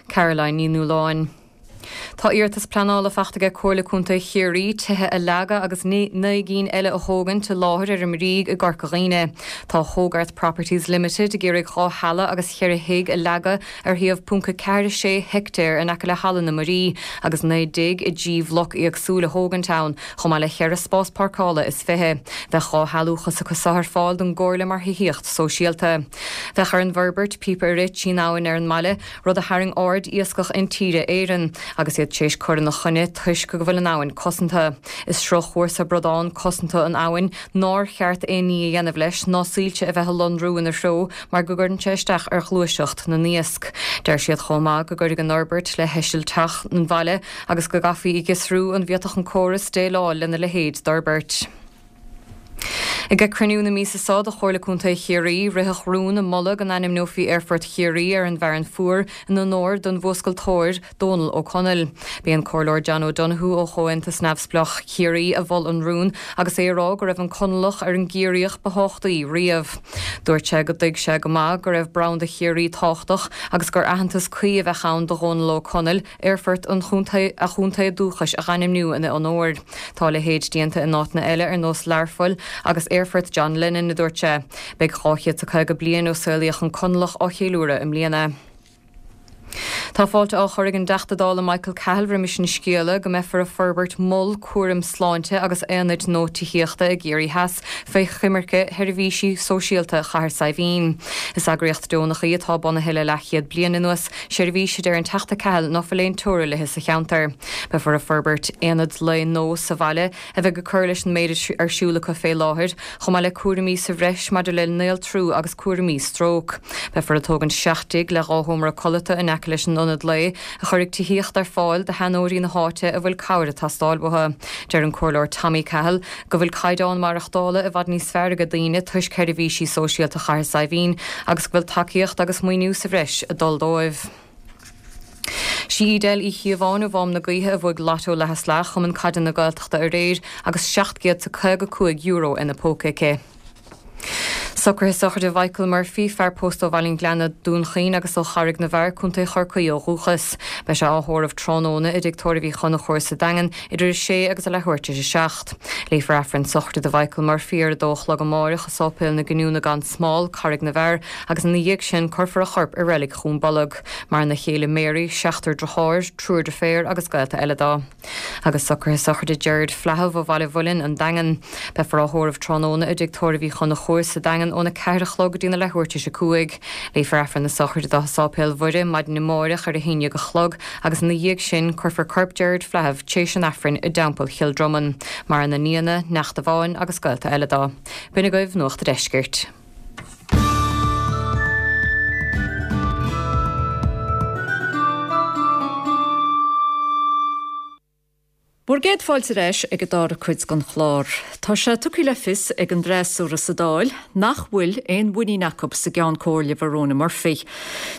Caroline Ní Nualláin. Tá iarratas pleanála faighte aige Comhairle Contae Chiarraí tithe a leagadh agus naoi gcinn eile a thógaint i láthair ar an mBríg i gCorca Dhuibhne. Tá Hogarth Properties Limited ag iarraidh dhá halla agus cheithre thigh a leagadh ar shuíomh ponc a ceathair sé heictéar in aice le Halla na Muirí agus naoi dtigh i dtrí bhloc éagsúil a thógaint ann, chomh maith le cheithre spás páirceála is fiche. Bheadh dhá shealúchas acu so ar fáil don gComhairle mar thithíocht sóisialta. Bheadh ar an bhforbairt píopa a rith trín abhainn ar an mbaile, rud a tharraing aird Iascach Intíre Éireann, agus iad tar éis cur ina choinne toisc go bhfuil an abhainn cosanta. Is sruthchúrsa bradán cosanta an abhainn nár cheart aon ní a dhéanamh leis ná soilse a bheith a lonrú ina threo mar go gcuireann sé isteach ar ghluaiseacht na n-iasc. Deir siad chomh maith go gcuirfidh an fhorbairt le heisilteach an bhaile agus go gcaithfí a fhiosrú an bhféadfadh an córas déileáil lena leithéid d'fhorbairt. Ag cruinniú na míosa seo de Chomhairle Contae Chiarraí, ritheadh rún ag moladh go n-ainmneofaí Aerfort Chiarraí ar an bhFearann Fuar in onóir don bhfuascailteoir Dónal Ó Conaill. B'é an Comhairleoir John O'Donoghue ó Chomhaontas Neamhspleách Chiarraí a mhol an rún agus é ag rá go raibh an Conallach ar an gCiarraíoch ba thábhachtaí riamh. Dúirt sé go dtuig sé go maith go raibh branda Chiarraí tábhachtach agus gur aitheantas cuí a bheadh ann do Dhónal Ó Conaill aerfort an chontae a chontae dúchais a ainmniú ina onóir. Tá a leithéid déanta in áiteanna eile ar nós Learpholl agus Aerfort John Lennon a dúirt sé. Beidh dhá chéad is caoga bliain ó saolaíodh an Conallach á cheiliúradh i mbliana. Tá fáilte á chur ag an dTeachta Dála Michael Cahill roimis an scéala go mbeifear ag forbairt mol cúraim sláinte agus aonaid nua tithíochta i gCiarraí Theas fé choimirce Sheirbhísí Sóisialta Chathair Saidhbhín. Is eagraíocht deonach í atá bunaithe le leathchéad bliain anuas, seirbhís a deir an Teachta Cahill ná fuil aon teora léi sa cheantar. Beifear ag forbairt aonad lae nua sa bhaile a bheidh ag cur leis an méid ar siúl acu fé láthair, chomh maith le cúraimí sa bhreis maidir le néaltrú agus cúraimí stróc. Beifear ag tógaint seacht dtigh le dhá sheomra codlata in aice leis an ionad lae, a chuirfidh tithíocht ar fáil do sheanóirí na háite a bhfuil cabhair ag teastáil uathu. Deir an Comhairleoir Tommy Cahill go bhfuil caighdeán maireachtála i bhfad níos fearr ag daoine toisc sheirbhísí sóisialta Chathair Saidhbhín agus go bhfuil tacaíocht agus maoiniú sa bhreis ag dul dóibh. Sí Edel Uí Chíobháin ó Mhám na Gaoithe a bhuaigh Lotto leath is leath Chumann Caide na Gaeltachta aréir agus seacht gcéad 's a caoga cúig euro ina póca aici. Socruithe sochraide Mhichael Murphy, fear pósta ó Bhaile an Ghleanna, Dún Chaoin agus ó Charraig na bhFear, Contae Chorcaí ó dhúchas. Beidh sé á thórramh tráthnóna i dTigh Tórraimh Uí Chonchúir sa Daingean idir a sé agus a leathuair tar éis a seacht. Léifear Aifreann sochraide do Mhichael Murphy ar a dó a chlog amáireach i Sáipéal na Giniúna gan Smál, Carraig na bhFear, agus ina dhiaidh sin cuirfear a chorp i Reilig Dhún Bolg. Maireann a chéile Mary, seachtar deartháir, triúr deirféar agus gaolta eile dó. Agus socruithe sochraide Gerard Flaithimh ó Bhaile Mhuilinn, An Daingean. Beifear á thórramh tráthnóna i dTigh Tórraimh Uí Chonchúir sa Daingean óna ceathair a chlog go dtína leathuair tar éis a cúig. Léifear Aifreann na sochraide dó i Sáipéal Mhuire maidin amáireach ar a haon déag a chlog agus ina dhiaidh sin cuirfear corp Gerard Flaithimh tar éis an Aifrinn i dTeampall Chill Dromann. Maireann a nianna, neacht amháin agus gaolta eile dó. B'in agaibh Nuacht a' Deiscirt. Bhur gcéad fáilte ar ais ag an dara cuid den chlár. Tá sé tugtha le fios ag an bhfreasúra sa Dáil nach bhfuil aon mhuinín acu sa gCeann Comhairle Verona Murphy.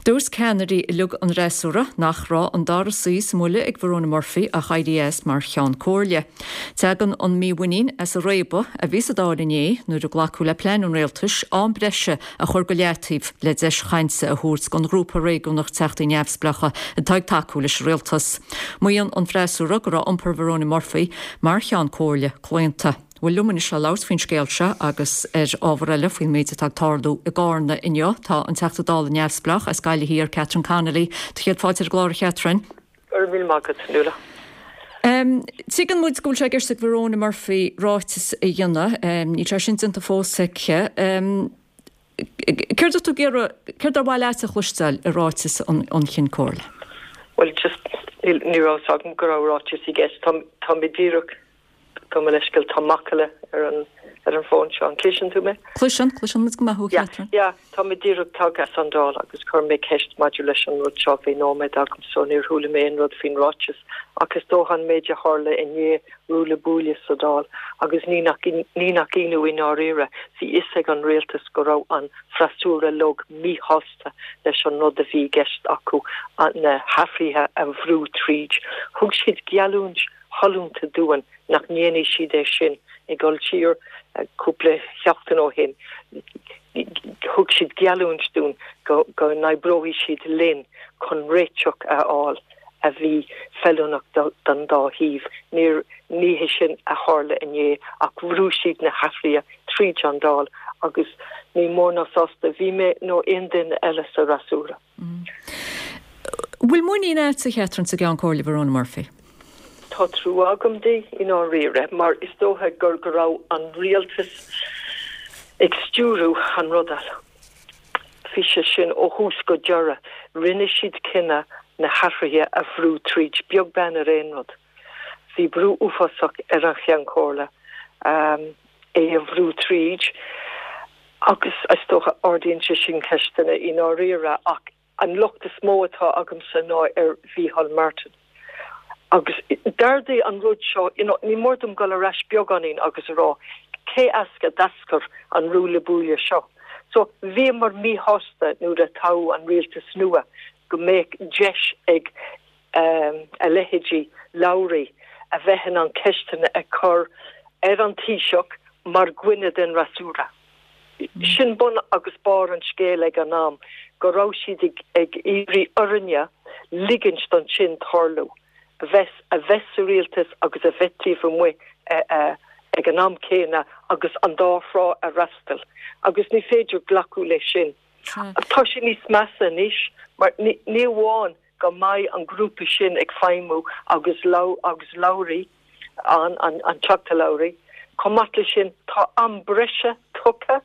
Dúirt ceannairí uilig an fhreasúra nach raibh an dara suí sa mbuille ag Verona Murphy ach éirí as mar Cheann Comhairle. Tagann an mímhuinín as an réabadh a bhí sa Dáil inné nuair a glacadh le plean an rialtais am breise a chur go leataobh le deis chainte a thabhairt don ghrúpa réigiúnach Teachtaí Neamhspleácha atá ag tacú leis an rialtas. Maíonn an freasúra go raibh iompar Verona Murphy mar Cheann Comhairle claonta. Bhuel liom anois le labhairt faoin scéal seo agus ar ábhar eile faoin méid atá ag tarlú i gCarna inniu tá an Teachta Dála neamhspleách as Gaillimh Thiar Catherine Connolly. Tá céad fáilte ar an gclár a Chatherine. Go raibh míle maith agat, Nuala. Um, Tuigeann muid go bhfuil sé i gceist ag Verona Murphy ráiteas a dhéanamh, um, níl sé sin déanta fós aici. Um, Céard atá tú ag iarraidh, céard ar mhaith leat a chloisteáil i ráiteas an, an Chinn Comhairle? Well just ní ní raibh a fhios agam go raibh ráiteas i gceist. Tá tá mé díreach gabh mo leithscéal tá macalla ar an ar an bhfón seo. An gcloiseann tú mé? Cloiseann, cloiseann muid go maith thú, Yeah, Catherine. yeah, tá mé díreach tagtha as an Dáil agus chuir mé ceist maidir leis an rud seo bhí nóiméad agam so níor chuala mé aon rud faoin ráiteas ach is dócha an méid a tharla inné ruaille buaille sa Dáil agus ní nach ní nach ionadh i ndáiríre bhí fhios ag an rialtas go raibh an freasúra uilig míshásta leis an rud a bhí i gceist acu na hathruithe a bhrú tríd. Thug siad geallúint shollúnta dúinn nach ndéanfaidh siad é sin ag dul siar cúpla seachtain ó shin. Thug siad geallúint dúinn go go n-oibreoidh siad linn chun réiteach a fháil a bhí feiliúnach don dá thaobh. Níor ní hé sin a tharla inné ach bhrú siad na hathruithe tríd an Dáil agus ní mór ná sásta bhí mé nó aon duine eile sa fhreasúra. Bhfuil muinín agat a Chatherine sa gCeann Comhairle Verona Murphy? Tá trua agam di i ndáiríre mar is dócha gur go raibh an rialtas ag stiúradh an ruda. Bhí sé sin ó thús go deireadh, rinne siad cinneadh na hathruithe a bhrú tríd beag beann ar aon rud. Bhí brú uafásach ar an Cheann Comhairle um, é a bhrú tríd agus is dócha ardaíonn sé sin ceisteanna i ndáiríre ach an locht is mó atá agamsa ná ar Mhícheál Martin. Agus d'ardaigh an rud seo you know, ní mór dom dul ar ais beagáinín agus a rá cé as a d'eascair an ruaille buaille seo. So bhíomar míshásta nuair a toghadh an rialtas nua go mbeadh deis ag a leithéidí Lowry a bheith in ann ceisteanna a chur ar an Taoiseach mar dhuine den fhreasúra. Sin bun agus barr an scéil ag an am, go raibh siad ag iarraidh orainne ligint don sin tarlú, a bheith a bheith sa rialtas agus a bheith taobh amuigh ag an am céanna agus an dá thrá a fhreastal. Agus ní féidir glacadh leis sin. Tá sé níos measa anois mar ní amháin go mbeidh an grúpa sin ag feidhmiú agus agus Lowry, an an Teachta Lowry, chomh maith leis sin tá am breise tugtha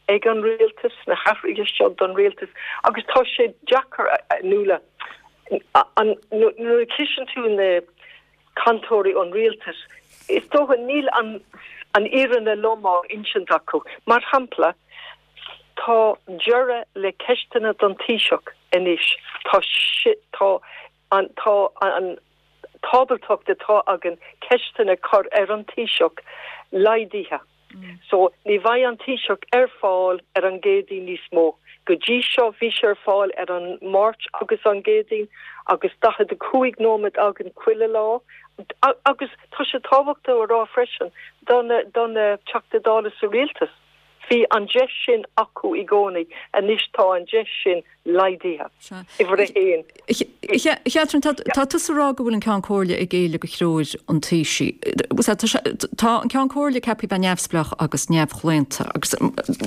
ag an rialtas, na hathruithe seo don rialtas agus tá sé deacair a Nuala, nuair a chloiseann tú na cainteoirí ón rialtas, is dócha níl an an fhírinne lom á insint acu. Mar shampla, tá deireadh le ceisteanna don Taoiseach anois, tá tá an tá an t-ábaltacht atá againn ceisteanna cur ar an Taoiseach laghdaithe. So ní bheidh an Taoiseach ar fáil ar an gCéadaoin níos mó. Go dtí seo bhí sé ar fáil ar an Máirt agus an gCéadaoin agus daichead a cúig nóiméad againn chuile lá. Agus tá sé tábhachtach a rá freisin do na do na Teachtaí Dála sa rialtas. Bhí an deis sin acu i gcónaí, anois tá an deis sin laghdaithe. Uimhir a haon. A Chatherine, tá tusa ag rá go bhfuil an Ceann Comhairle ag géilleadh do threoir an Taoisigh. Tá an Ceann Comhairle ceaptha bheith neamhspleách agus neamhchlaonta agus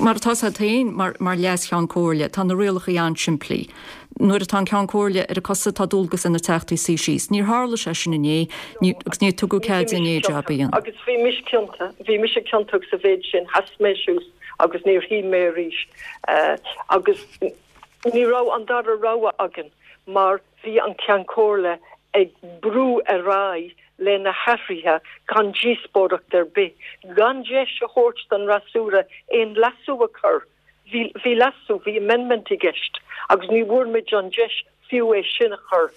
mar atá sé féin mar Leas-Cheann Comhairle, tá na rialacha an-simplí. Nuair atá an Ceann Comhairle ar a cosa tá dualgas ar na Teachtaí suí síos. Níor tharla sé sin inné agus níor tugadh cead di inné jab a dhéanamh. Agus bhí mise ciontach, bhí mise ciontach sa mhéid sin, sheas mé suas agus níor shuigh mé arís. Agus ní raibh an dara rogha againn mar bhí an Ceann Comhairle ag brú ar aghaidh le na hathruithe gan díospóireacht ar bith, gan deis a thabhairt don fhreasúra aon leasú a chur. Bhí, bhí leasú, bhí amendment i gceist agus ní bhfuair muid an deis fiú é sin a chur.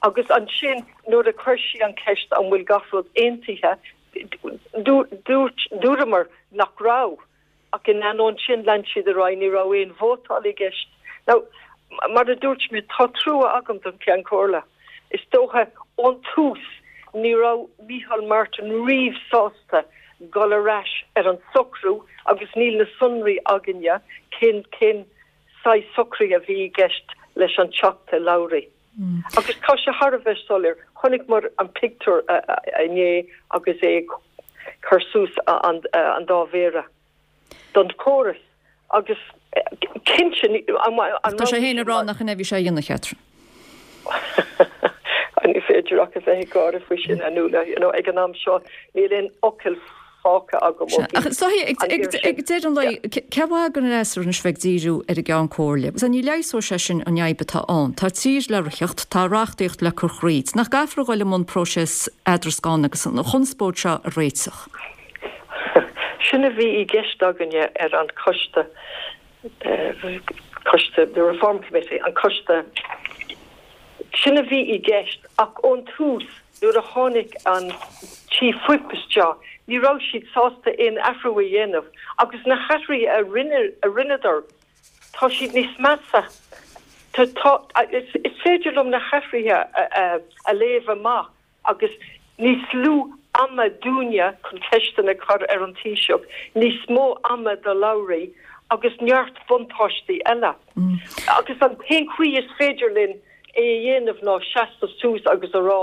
Agus ansin nuair a chuir sí an ceist an bhfuil gach rud aontaithe, dúirt, dúramar nach raibh. Ach in ainneoin sin lean siad ar aghaidh, ní raibh aon vótáil i gceist. Now, mar a dúirt mé, tá trua agam don Cheann Comhairle. Is dócha ón tús ní raibh Micheál Martin riamh sásta dul ar ais ar an socrú agus níl na sonraí againne cén cén saghas socraithe a bhí i gceist leis an Teachta Lowry. Agus tá sé thar a bheith soiléir, chonaiceamar an pictiúr inné agus é ag cur suas an dá mhéara don chóras agus cinnte an Tá sé féin ag rá nach in é a bhí sé a dhéanamh, a Chatherine. Ní féidir ach a bheith ag gáire faoi sin, a Nuala. You know, ag an am seo níl aon fhocal fágtha agam ó Ach so ag deireadh an lae, cén mhaith don fhreasúra anois bheith ag díriú ar an gCeann Comhairle? Agus ní leigheasóidh sé sin an fhadhb atá ann. Tá tír le ritheacht, tá reachtaíocht le cur thríd. Nach gcaithfear a dhul i mbun próiseas eadrascána agus an chonspóid seo a réiteach? Sin a bhí i gceist againne ar an choiste, coiste, the Reform Committee, an coiste, sin a bhí i gceist ach ón tús nuair a tháinig an Chief Whip isteach ní raibh siad sásta aon athrú a dhéanamh agus na hathruithe a rinne, a rinneadar tá siad níos measa. Tá, tá, is, is féidir liom na hathruithe a, a, a léamh amach agus níos lú ama dúinne chun ceisteanna a chur ar an Taoiseach, níos mó ama do Lowry agus neart buntáistí eile. Agus an t-aon chaoi is féidir linn é a dhéanamh ná seasamh suas agus a rá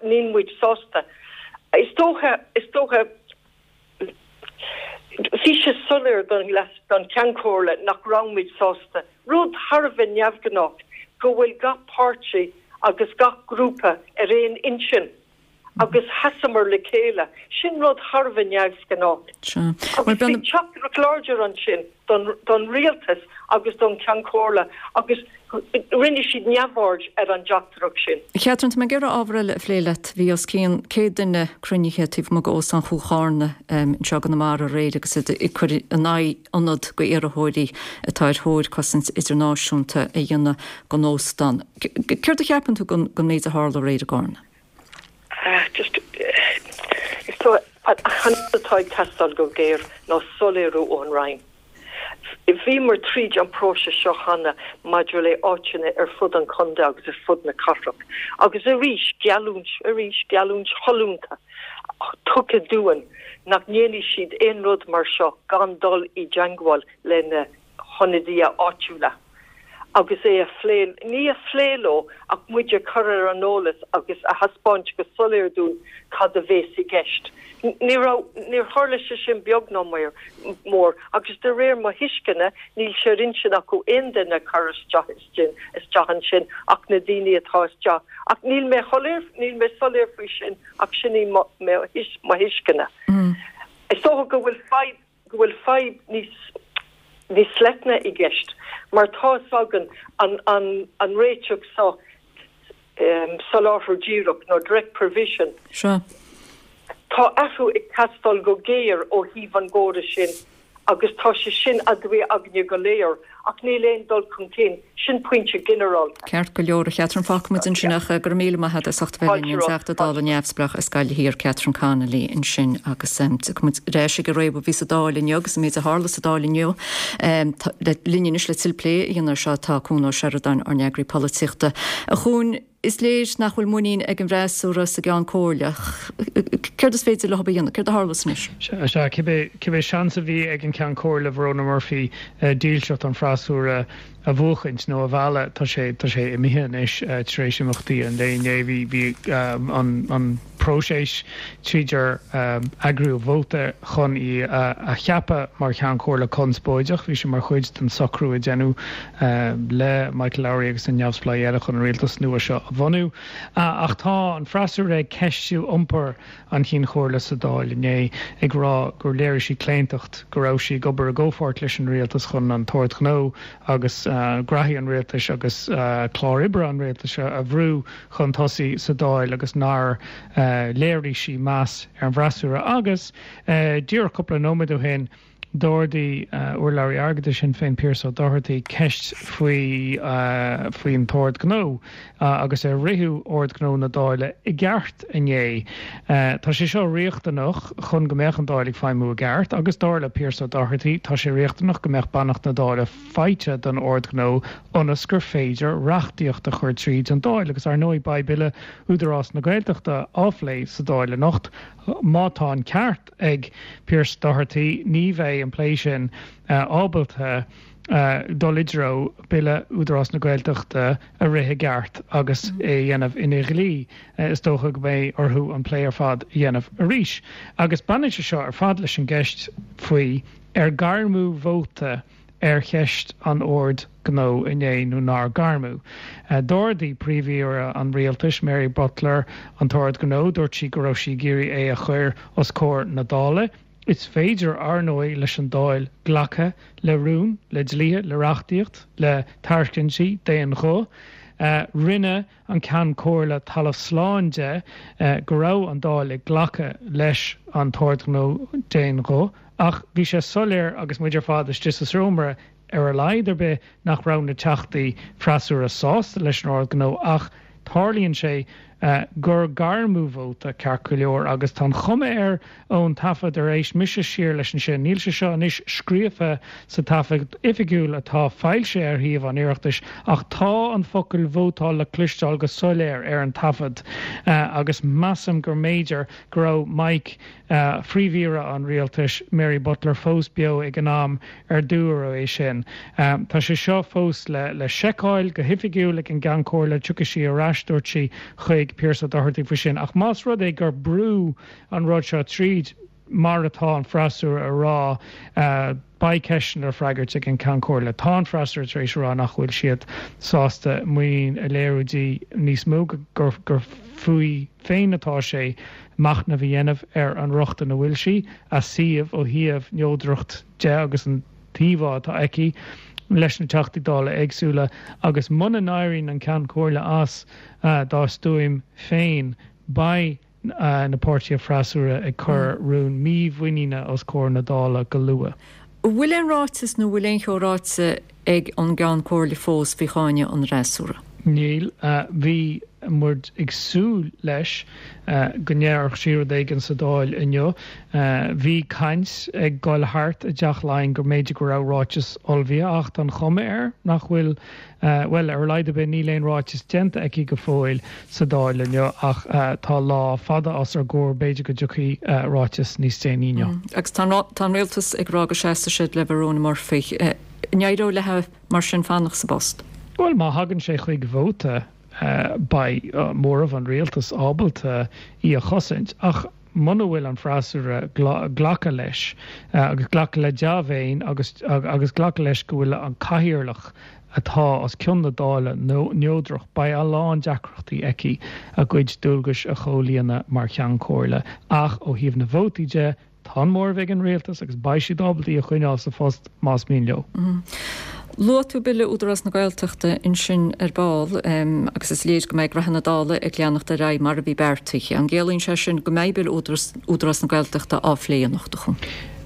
níl muid sásta. Is dócha, is dócha, bhí sé soiléir don don Cheann Comhairle nach raibh muid sásta. Rud thar a bheith neamhghnách go bhfuil gach páirtí agus gach grúpa ar aon intinn agus sheasamar le chéile. Sin rud thar a bheith neamhghnách. Agus bhí teachtaireacht láidir ansin don don rialtas agus don Cheann Comhairle agus rinne siad neamhaird ar an dteachtaireacht sin. Catherine, tá mé ag iarraidh ábhar eile a phlé leat. Bhí os cionn céad duine cruinnithe taobh amuigh d'Óstán Chúil Charna anseo i gConamara aréir agus iad ag cur in aghaidh ionad d'iarrthóirí atá ar thóir cosaint idirnáisiúnta a dhéanamh den óstán. Céard a cheapann tú den méid a tharla aréir i gCarna? Just, is dóigh, Ach an rud atá ag teastáil go géar ná soiléiriú ón Roinn. Bhíomar tríd an próiseas seo cheana maidir le áiteanna ar fud an chontae agus ar fud na cathrach, agus arís geallúint, arís geallúint shollúnta tugtha dúinn nach ndéanfaidh siad aon rud mar seo gan dul i dteangmháil le na hionadaithe áitiúla agus é a phlé, ní a phlé leo ach muid a chur ar an eolas agus a thaispeáint go soiléir dúinn cad a bhéas i gceist. Ní raibh, níor tharla sé sin beag ná mór agus de réir mo thuisceana níl sé ar intinn acu aon duine a chur isteach isteach ansin ach na daoine atá isteach. Ach níl mé shoiléir, níl mé soiléir faoi sin ach sin í mo thuisceana. Is dócha go bhfuil fadhb, go bhfuil fadhb níos níos leithne i gceist mar tá 'fhios againn an an an réiteach seo soláthar díreach nó direct provision. Seo. Tá athrú ag teastáil go géar ó thaobh an gcóras sin agus tá sé sin aduaidh againne go léir ach níl aon dul chun cinn. Sin pointe ginearálta. Ceart go leor, a Chatherine, fágfaimid ansin ach go raibh míle maith agat as ucht a bheith linn, an Teachta Dála neamhspleách as Gaillimh Thiar, Catherine Connolly ansin agus tiocfaimid ar ais ag an réabadh a bhí sa Dáil inniu agus an méid a tharla sa Dáil inniu. Linn anois le tuilleadh plé a dhéanamh air seo tá Cuan Ó Seireadáin, ár n-eagraí polaitíochta. A Chuain, is léir nach bhfuil muinín ag an bhfreasúra sa gCeann Comhairle. Céard is féidir leo a dhéanamh? Céard a tharlós anois? Sea, cibé cibé seans a bhí ag an Ceann Comhairle Verona Murphy dílseacht an freasúra a bhuachaint nó a mhealladh, tá sé tá sé imithe anois tar éis imeachtaí an lae inné. Bhí bhí an an próiseas tríd ar eagraíodh vóta chun í a cheapadh mar Cheann Comhairle conspóideach. Bhí sé mar chuid den socrú a deineadh le Michael Lowry agus na neamhspleáigh eile chun an rialtas nua seo a bhunú. Ach tá an freasúra ag ceistiú iompar an Chinn Chomhairle sa Dáil inné, ag rá gur léirigh sí claontacht, go raibh sí ag obair i gcomhpháirt leis an rialtas chun an tOrd Gnó agus graithí an rialtais agus clár oibre an rialtais a bhrú chun tosaigh sa Dáil agus nár léirigh sí meas ar an bhfreasúra. Agus díreach cúpla nóiméad ó shin, d'ardaigh urlabhraí airgeadais Shinn Féin Pearse Doherty ceist faoi faoin tOrd Gnó agus ar ritheadh Ord Gnó na Dála i gceart inné. Tá sé seo riachtanach chun go mbeadh an Dáil ag feidhmiú i gceart agus dar le Pearse Doherty tá sé riachtanach go mbeadh beannacht na Dála faighte don Ord Gnó ionas gur féidir reachtaíocht a chur tríd an Dáil agus ar ndóigh beidh Bille Údarás na Gaeltachta á phlé sa Dáil anocht. Má tá an ceart ag Pearse Doherty, ní bheidh an plé sin ábalta dul i dtreo Bille Údarás na Gaeltachta a rith i gceart agus é a dhéanamh ina dhlí. Is dócha go mbeidh orthu an plé ar fad a dhéanamh arís. Agus baineann sé seo ar fad leis an gceist faoi ar gairmeadh vóta ar cheist an Oird Ghnó inné nó nár gairmeadh. D'ardaigh Príomh-Aoire an Rialtais, Mary Butler, an tOrd Gnó, dúirt sí go raibh sí ag iarraidh é a chur os comhair na Dála. Is féidir, ar ndóigh, leis an Dáil glacadh le rún, le dlíthe, le reachtaíocht, le tairiscintí d'aon ghuth. Rinne an Ceann Comhairle talamh slán de go raibh an Dáil ag glacadh leis an tOrd Gnó d'aon ghuth. Ach bhí sé soiléir agus muid ar fad istigh sa seomra, ar a laghad ar bith, nach raibh na teachtaí freasúra sásta leis an Ord Gnó ach tarlaíonn sé gur gairmeadh vóta, ceart go leor, agus tá an chuma air ón taifead ar éist mise siar leis ansin, níl sé seo anois scríofa sa taifead oifigiúil atá foilsithe ar shuíomh an Oireachtais ach tá an focal vótáil le cloisteáil go soiléir ar an taifead agus measaim go mb'fhéidir go raibh mic Phríomh-Aoire an Rialtais, Mary Butler, fós beo ag an am ar dúradh é sin. Tá sé seo fós le le seiceáil go hoifigiúil ag an gCeann Comhairle, tiocfaidh sí ar ais, dúirt sí, chuig Pearse Doherty faoi sin. Ach más rud é gur brúdh an rud seo tríd, mar atá an freasúra a rá, beidh ceisteanna le freagairt ag an gCeann Comhairle. Tá an freasúra tar éis a rá nach bhfuil siad sásta muinín a léiriú di níos mó, gur gur fúithi féin atá sé machnamh a dhéanamh ar an rochtain a bhfuil sí, a suíomh ó thaobh neodracht de agus an t-íomhá atá aici leis na Teachtaí Dála éagsúla agus muna n-éiríonn an Ceann Comhairle as dá stuaim féin, beidh na páirtithe freasúra ag cur rún mímhuiníne os comhair na Dála go luath. An bhfuil aon ráiteas nó an bhfuil aon cheo ráite ag an gCeann Comhairle fós faoi cháineadh an fhreasúra? Níl. Bhí muid ag súil leis go ndéarfadh sí rud éigin sa Dáil inniu. Bhí caint ag dul thart i dTeach Laighean go mb'fhéidir go raibh ráiteas ullmhaithe ach tá an chuma air nach bhfuil, bhuel, ar a laghad ar bith níl aon ráiteas déanta aici go fóill sa Dáil inniu ach tá lá fada os ár gcomhair, b'fhéidir go dtiocfaidh ráiteas níos déanaí inniu. Agus tá an rialtas ag rá go seasfaidh siad le Verona Murphy. An éireoidh léi mar sin fanacht sa bpost? Bhuel, má thagann sé chuig vóta, beidh móramh an rialtais ábalta í a chosaint, ach muna bhfuil an freasúra glacadh leis agus glacadh le dea-mhéin agus agus glacadh leis go bhfuil an cathaoirleach atá os cionn na Dála neodrach, beidh a lán deacrachtaí aici a cuid dualgais a chomhlíonadh mar Cheann Comhairle. Ach ó thaobh na vótaí de, Tá an móramh ag an rialtas agus beidh siad ábalta í a choinneáil sa phost más mian leo. Luaigh tú Bille Údarás na Gaeltachta ansin ar ball agus is léir go mbeidh reatha na Dála ag leanacht ar aghaidh mar a bhí beartaithe. An gciallaíonn sé sin go mbeidh Bille Údarás na Gaeltachta á phlé anocht, a Chuain?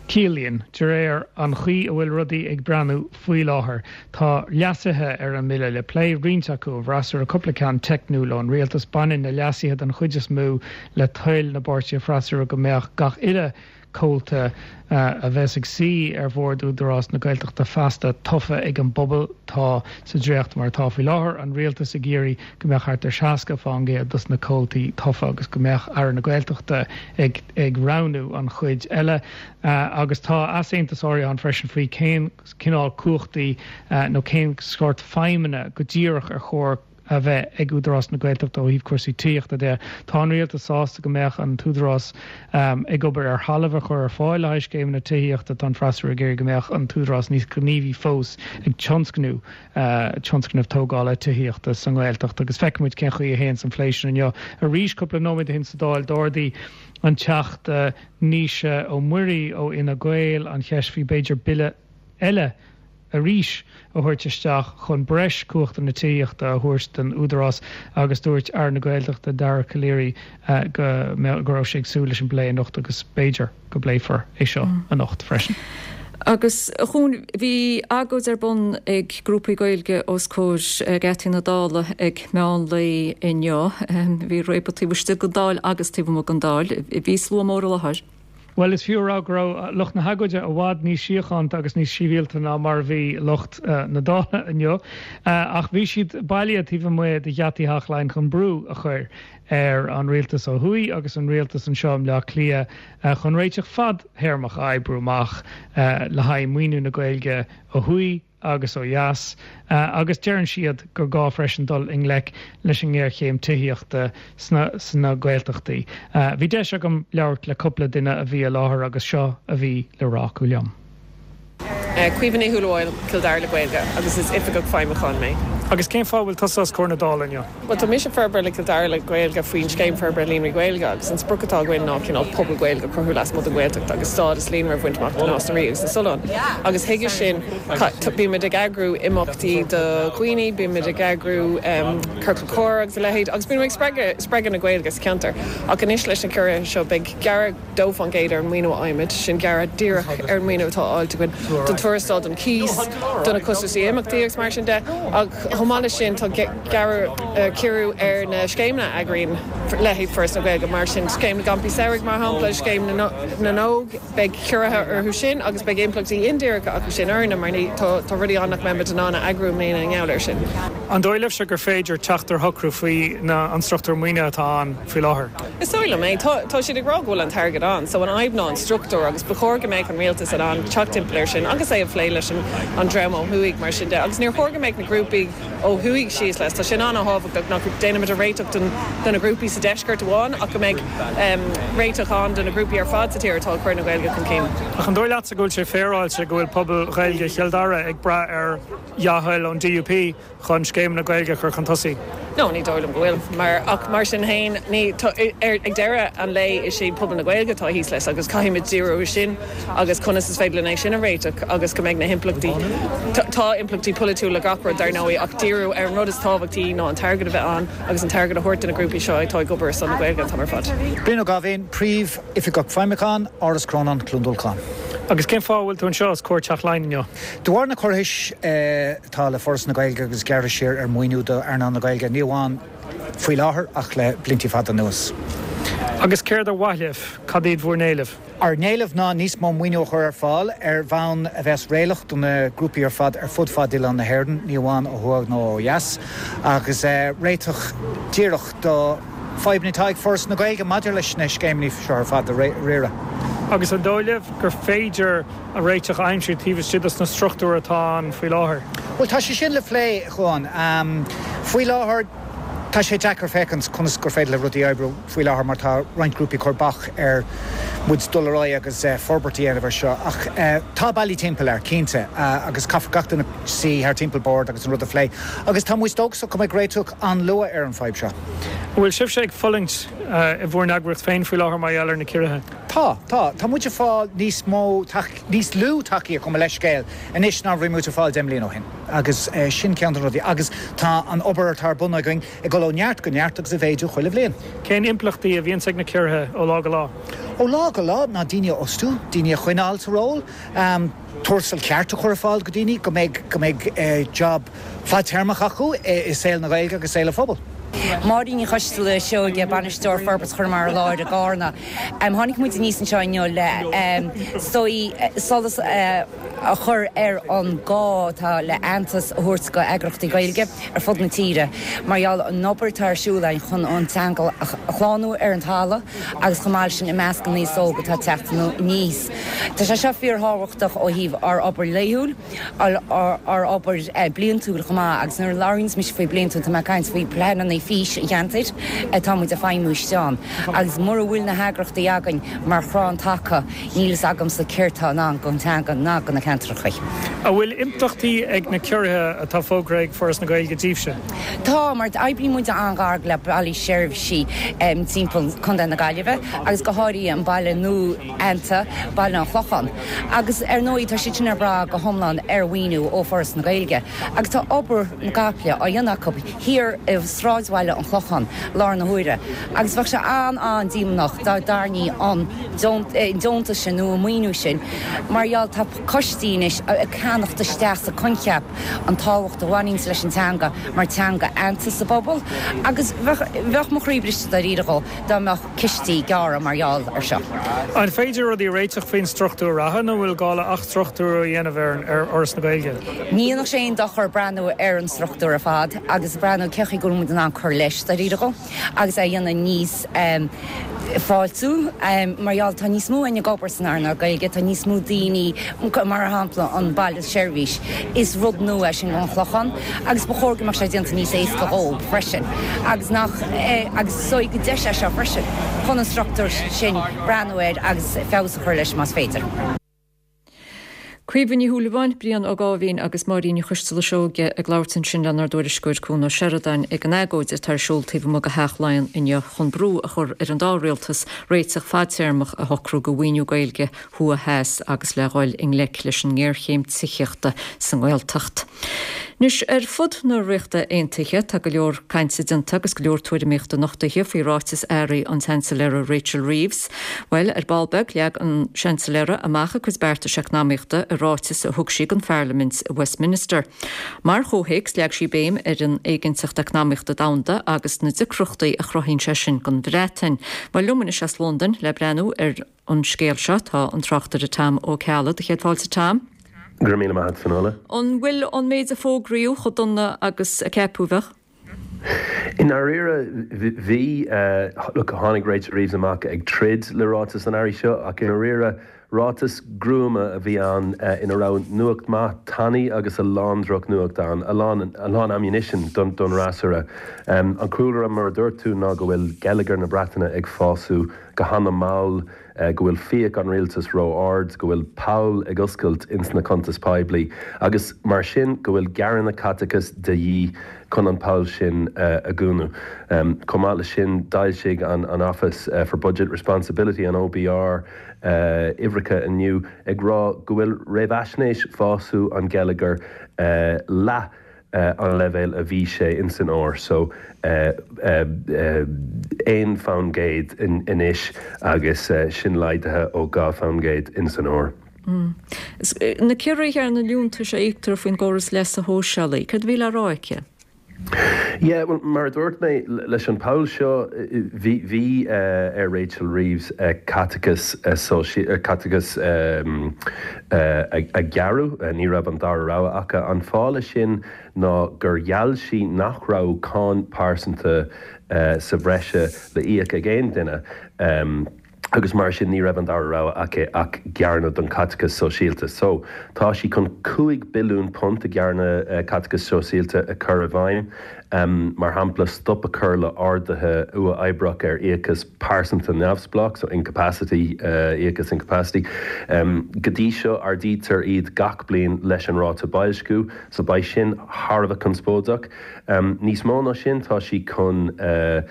Ciallaíonn, de réir an chaoi a bhfuil rudaí ag breathnú faoi láthair. Tá leasuithe ar an mbille le plé, roinnt acu ón bhfreasúra, cúpla ceann teicniúil ón rialtas. Baineann na leasuithe den chuid is mó le toil na bpáirtithe freasúra go mbeadh gach uile comhalta a bheas ag suí ar bhord Údarás na Gaeltachta feasta tofa ag an bpobal. Tá sa dréacht mar atá faoi láthair, an rialtas ag iarraidh go mbeadh thart ar seasca fán gcéad dos na comhaltaí tofa agus go mbeadh Aire na Gaeltachta ag ag roghnú an chuid eile. Agus tá easaontas áirithe ann freisin faoi cén cineál cumhachtaí nó cén sórt feidhmeanna go díreach ar chóir a bheith ag Údarás na Gaeltachta ó thaobh cúrsaí tithíochta de. Tá an rialtas sásta go mbeadh an tÚdarás ag obair ar thalamh a chur ar fáil le haghaidh scéimeanna tithíochta. Tá an freasúra ag iarraidh go mbeadh an tÚdarás níos gníomhaí fós ag tionscnú tionscnamh tógála tithíochta sa nGaeltacht agus feicfidh muid cén chaoi a théanns an plé sin inniu. Arís, cúpla nóiméad ó shin sa Dáil, d'ardaigh an Teachta Naoise Ó Muirí ó Fhine Gael an cheist faoi b'fhéidir bille eile arís a thabhairt isteach chun breis cumhachtanna tithíochta a thabhairt don Údarás agus dúirt Aire na Gaeltachta Dara Calleary go go raibh sé ag súil leis an bplé anocht agus b'fhéidir go bpléifear é seo anocht freisin. Agus a Chuain, bhí agóid ar bun ag grúpaí Gaeilge os comhair geataí na Dála ag meán lae inniu. Bhí réabadh taobh istigh den Dáil agus taobh amuigh den Dáil. Bhí slua mór i láthair. Bhuel, is fiú a rá go raibh lucht na hagóide i bhfad níos síochánta agus níos sibhialta ná mar a bhí lucht na Dála inniu. Ach bhí siad bailithe taobh amuigh de gheataí Theach Laighean chun brú a chur ar an rialtas ó thuaidh agus an rialtas anseo i mBleá Cliath chun réiteach fadthéarmach a oibriú amach le haghaidh maoiniú na Gaeilge ó thuaidh agus ó dheas, agus deireann siad gur gá freisin dul i ngleic leis an ngéarchéim tithíochta sna Gaeltachtaí. Bhí deis agam labhairt le cúpla duine a bhí i láthair agus seo a bhí le rá acu liom. Caoimhe Ní Shúilleabháin, Cill Dara le Gaeilge, agus is Oifigeach Feidhmiúcháin mé. Agus cén fáth a bhfuil tusa os comhair na Dála inniu? Bhuel, tá mise Forbartha le Cill Dara le Gaeilge faoin Scéim Forbartha Líonraí Gaeilge agus an sprioc atá againn ná cineál pobal Gaeilge a chruthú lasmuigh den Ghaeltacht agus stádas líonra a bhaint amach do Nás na Rí agus na Sollán. Agus chuige sin, bímid ag eagrú imeachtaí do dhaoine, bímid ag eagrú ciorcal comhrá agus a leithéid agus bímid ag spreagadh na Gaeilge sa cheantar. Ach anois leis na ciorruithe seo beidh gearradh dó fán gcéad ar an maoiniú a fhaighimid, sin gearradh díreach ar an maoiniú atá á fháilt againn don tuarastal, don cíos, do na costaisí imeachtaí agus mar sin de. Ach chomh maith leis sin tá gearradh, ciorrú ar na scéimeanna a eagraíonn leithéid Foras na Gaeilge, mar sin Scéim na gCampaí Samhraidh mar shampla, Scéim na nÓg, beidh ciorruithe orthu sin agus beidh impleachtaí indíreacha acu sin orainne mar ní, tá rudaí ann nach mbeimid in ann a eagrú i mbliana i ngeall air sin. An dóigh libhse gur féidir teacht ar shocrú faoi na an struchtúr maoinithe atá ann faoi láthair? Is dóigh liom é. Tá, tá siad ag rá go bhfuil an t-airgead ann, so an fhadhb ná an struchtúr agus ba chóir go mbeadh an rialtas in ann teacht timpeall air sin agus é a phlé leis an an dream ó thuaidh mar sin de. Agus níor chóir go mbeadh na grúpaí ó thuaidh síos leis. Tá sin an-thábhachtach nach déanaimid an réiteach don do na grúpaí sa deisceart amháin ach go mbeidh réiteach ann do na grúpaí ar fad sa tír atá ag cur na Gaeilge chun cinn. Ach an dóigh leatsa go bhfuil sé féaráilte go bhfuil pobal Ghaeilge Chill Dara ag brath ar dhea-thoil ón DUP chun scéimeanna Gaeilge a chur chun tosaigh? No, ní dóigh liom go bhfuil. Mar, ach mar sin féin, ní, tá, ar, ag deireadh an lae is é pobal na Gaeilge atá thíos leis agus caithfimid díriú air sin agus conas is féidir linn é sin a réiteach agus go mbeidh na himpleachtaí, tá, tá impleachtaí polaitiúla le gach rud dar ndóigh ach díriú ar an rud is tábhachtaí ná an t-airgead a bheith ann agus an t-airgead a thabhairt do na grúpaí seo atá ag obair ar son na Gaeilge an t-am ar fad. Brian Ó Gabháin, Príomh-Oifigeach Feidhmiúcháin, Áras Chrónáin, Cluain Dolcáin. Agus cén fáth a bhfuil tú anseo os comhair Teach Laighean inniu? De bharr na ciorruithe atá le Foras na Gaeilge agus gearradh siar ar mhaoiniú do earnáil na Gaeilge, ní amháin faoi láthair ach le blianta fada anuas. Agus céard ar mhaith libh? Cad iad bhur n-éilimh? Ár n-éileamh ná níos mó maoiniú a chur ar fáil ar bhonn a bheas réalaíoch do na grúpaí ar fad ar fud fad oileán na hÉireann, ní amháin ó thuaidh nó ó dheas, agus réiteach díreach do fadhbanna atá ag Foras na Gaeilge maidir leis na scéimeanna seo ar fad a riaradh. Agus an dóigh libh gur féidir a réiteach a aimsiú taobh istigh dos na struchtúir atá ann faoi láthair? Bhuel, tá sé sin le plé, a Chuáin. Faoi láthair, Tá sé deacair féachaint conas gur féidir le rudaí oibriú faoi láthair mar tá roinnt grúpaí ag cur bac ar muid dul ar aghaidh agus forbairt a dhéanamh ar seo ach tá bealaí timpeall air, cinnte, agus caithfear gach duine suí thar timpeall bord agus an rud a phlé agus tá muid dóchasach go mbeidh réiteach an-luath ar an fadhb seo. An bhfuil sibhse ag fulaingt i bhur n-eagraíocht féin faoi láthair mar gheall ar na ciorruithe? Tá, tá. Tá muid ag fáil níos mó, níos lú tacaíocht, gabh mo leithscéal, anois ná a bhí muid ag fáil deich mbliana ó shin. Agus sin ceann de na rudaí. Agus tá an obair atá ar bun againn ag dul ó neart go neart agus ag méadú chuile bhliain. Cén impleachtaí a bhíonns ag na ciorruithe ó lá go lá? Ó lá go lá ná daoine a fhostú, daoine a choinneáil sa ról, tuarastal ceart a chur ar fáil go daoine, go mbeidh, go mbeidh job fadtéarmach acu i saol na Gaeilge agus saol an phobail. Máirín Ní Choisteala Seoige, Bainisteoir Forbairt Chonamara Láir i gCarna. Tháinig muid aníos anseo inniu le solas a chur ar an gá atá le aitheantas a thabhairt go eagraíochtaí Gaeilge ar fud na tíre mar gheall an obair atá ar siúl againn chun an teanga a shlánú ar an talamh agus chomh maith leis sin i measc an aos óg atá ag teacht aníos. Tá sé seo fíorthábhachtach ó thaobh ár obair laethúil, ár obair bliantúil chomh maith agus nuair a labhraíonns mise faoi bliantúil tá mé ag caint faoi pleananna fís an cheantair atá muid ag feidhmiú istigh ann agus mura bhfuil na heagraíochtaí againn mar chrann taca níl fhios agamsa céard tá i ndán don teanga ná do na ceantracha. An bhfuil impleachtaí ag na ciorruithe atá fógraithe ag Foras na Gaeilge daoibhse? Tá, mar oibríonn muid an-ghar le bailí seirbhísí timpeall Contae na Gaillimhe agus go háirithe an baile nua-aitheanta, Baile an Chlocháin. Agus ar ndóigh tá siad sin ag brath go hiomlán ar mhaoiniú ó Foras na Gaeilge agus tá obair na gcaiple á dhéanamh acu thiar i sráidbhaile an Chlocháin láthair na huaire agus bheadh sé an-an-díománach dá dtarraingí an deontas sin nó an maoiniú sin mar gheall tá coistí anois ag ceannacht isteach sa coincheap an tábhacht a bhaineanns leis an teanga mar teanga aitheanta sa bpobal agus bheadh mo chroí briste dáiríre dhó dá mbeadh cistí gearrtha mar gheall ar seo. An féidir rudaí a réiteach faoin struchtúr reatha nó an bhfuil gá le athstruchtúrú a dhéanamh ar Fhoras na Gaeilge? Ní dhéanfadh sé aon dochar breathnú ar an struchtúr ar fad agus breathnú cé chaoi go bhfuil muid in ann cur leis dáiríre dhó agus é a dhéanamh níos fáiltiú mar gheall tá níos mó againn ag obair san earnáil Gaeilge, tá níos mó daoine, mar shampla an baile seirbhís, is rud nua é sin don Chlochán agus ba chóir go mbeadh sé déanta níos éasca dhóibh freisin agus nach agus is dóigh gur deis é seo freisin chun an struchtúr sin breathnú air agus feabhas a chur leis más féidir. Caoimhe Ní Shúilleabháin, Brian Ó Gáibhín agus Máirín Ní Choisteala Seoige ag labhairt ansin lenár dtuairisceoir Cuan Ó Seireadáin ag an agóid atá ar siúl taobh amuigh de Theach Laighean inniu chun brú a chur ar an dá rialtas réiteach fadtéarmach a shocrú do mhaoiniú Gaeilge thuaidh theas agus le dhul i ngleic leis an ngéarchéim tithíochta sa nGaeltacht. Anois, ar fud na Ríochta Aontaithe, tá go leor cainte déanta agus go leor tuairimíochta nochtaithe faoi ráiteas earraigh an tSeansailéara Rachel Reeves. Bhuel, ar ball beag, leag an Seansailéara amach a cuid beartais eacnamaíochta i ráiteas a thug sí don Pharlaimint i Westminster. Mar chomhthéacs, leag sí béim ar an éiginnteacht eacnamaíochta domhanda agus na deacrachtaí a chruthaíonn sé sin don Bhreatain. Bhuel, liom anois as Londain le breathnú ar an scéal seo tá an tráchtaire Tom Ó Ceallaigh. Do chéad fáilte, Tom. Go raibh míle maith agat, Fionnuala. An bhfuil an méid a fógraíodh chomh dona agus a ceapadh a bheadh? I ndáiríre, bhí. Look, tháinig Rachel Reeves amach ag troid le ráiteas an earraigh seo, ach i ndáiríre, ráiteas gruama a bhí ann ina raibh nuacht maith tanaí agus a lán drochnuacht ann, a lán, a lán ammunition don, don fhreasúra. An cúlra, mar a dúirt tú, ná go bhfuil geilleagar na Breataine ag fású go hana-mhall, go bhfuil fiach an rialtais ró-ard, go bhfuil poll ag oscailt ins na cuntais poiblí agus mar sin go bhfuil gearradh caiteachais de dhíth chun an poll sin a dhúnadh. Chomh maith leis sin, d'fhoilsigh an Office for Budget Responsibility, an OBR, uimhreacha inniu ag rá go bhfuil réamhaisnéis fású an gheilleagair leath an leibhéal a bhí sé ins an fhómhar so, aon faoin gcéad anois agus sin laghdaithe ó dhá faoin gcéad ins an fhómhar. Na ciorruithe ar na liúntais a íoctar faoin gcóras leasa shóisialaigh, céard a bhí le rá aici? Yeah, well, mar a dúirt mé leis an poll seo bhí bhí uh, ar Rachel Reeves uh, caiteachas uh, caiteachas um, uh, a, a ghearradh uh, ní raibh an dara rogha aici an fáth leis sin ná gur gheall sí nach raibh cáin pearsanta uh, sa bhreise le íoc ag aon duine. Um, agus mar sin ní raibh an dara rogha aici ach gearradh don caiteachas sóisialta. So tá sí chun cúig billiún punt a ghearradh uh, caiteachas sóisialta a chur i bhfeidhm. Um, mar shampla stop a chur le arduithe uathoibríoch ar íocas pearsanta neamhspleách, so incapacity uh, íocas incapacity. Um, Go dtí seo ardaítear iad gach bliain leis an ráta boilsciú, so beidh sin thar a bheith conspóideach. Um, níos mó ná sin tá sí chun uh,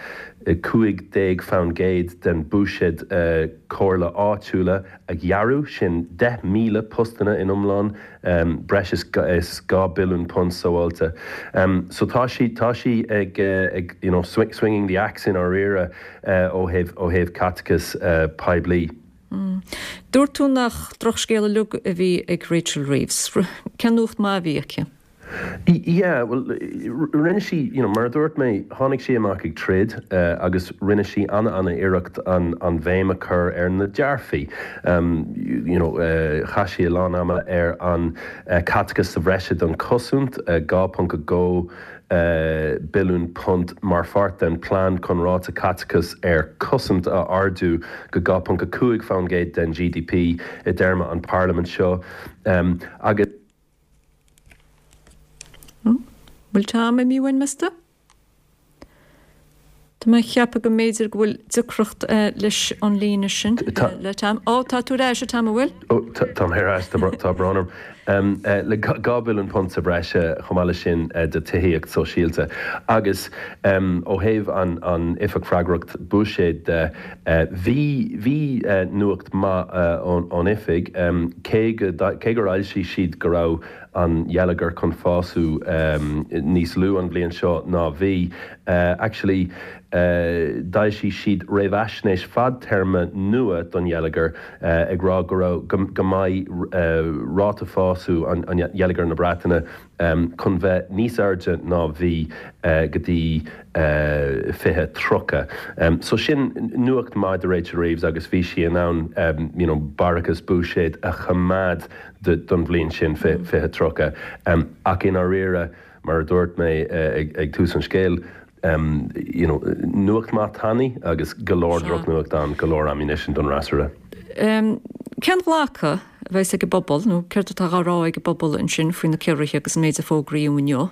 cúig déag faoin gcéad den buiséad uh, comhairle áitiúla a ghearradh sin deich míle postanna in iomlán um, breis is is dhá billiún punt sábháilte. Um, so tá sí tá sí ag, uh, ag you know, swing, swinging the axe i ndáiríre uh, ó thaobh ó thaobh caiteachas uh, poiblí. Mm. Dúirt tú nach drochscéal uilig a bhí ag Rachel Reeves. Cén nuacht mhaith a bhí aici? Yeah, well rinne sí you know, mar dúirt mé tháinig sí amach ag troid uh, agus rinne sí an an-iarracht an, an bhéim a chur ar na dearfaí. Um, you know, uh, chaith sí a lán ama ar an uh, caiteachas sa bhreise don chosaint uh, dhá ponc a dó Uh, billiún punt mar pháirt den plean chun ráta caiteachas ar cosaint a ardú go dhá ponc a cúig faoin gcéad den GDP i dtéarma an Parliament seo um, agus Bhfuil Tom imithe uainn meas tú? Tá mé ag ceapadh go mb'fhéidir go bhfuil deacracht leis an líne sin le Tom. Ó tá tú ar ais a Tom an bhfuil? Ó tá ar ais tá brón orm. Le dhá billiún punt sa bhreise chomh maith leis sin do tithíocht sóisialta. Agus ó thaobh an an oifig freagracht buiséid de bhí bhí nuacht maith ón oifig cé cé gur fhoilsigh siad go raibh an geilleagar chun fás níos lú an bhliain seo ná bhí. Actually d'fhoilsigh siad réamhaisnéis fadtéarma nua don gheilleagar ag rá go raibh go mbeidh ráta fáis an gheilleagar na Breataine chun bheith níos airde ná bhí go dtí fiche tríocha. So sin nuacht maith do Rachel Reeves agus bhí sí in ann you know, barrachas buiséid a choimeád don bhliain sin fiche tríocha. Ach i ndáiríre mar a dúirt mé ag tús an scéil, um, you know, nuacht maith tanaí agus go leor drochnuacht ann go leor ammunition don fhreasúra. Um, Cén glacadh a bheas ag an bpobal nó céard atá á rá ag an bpobal ansin faoi na ciorruithe agus an méid a fógraíodh inniu?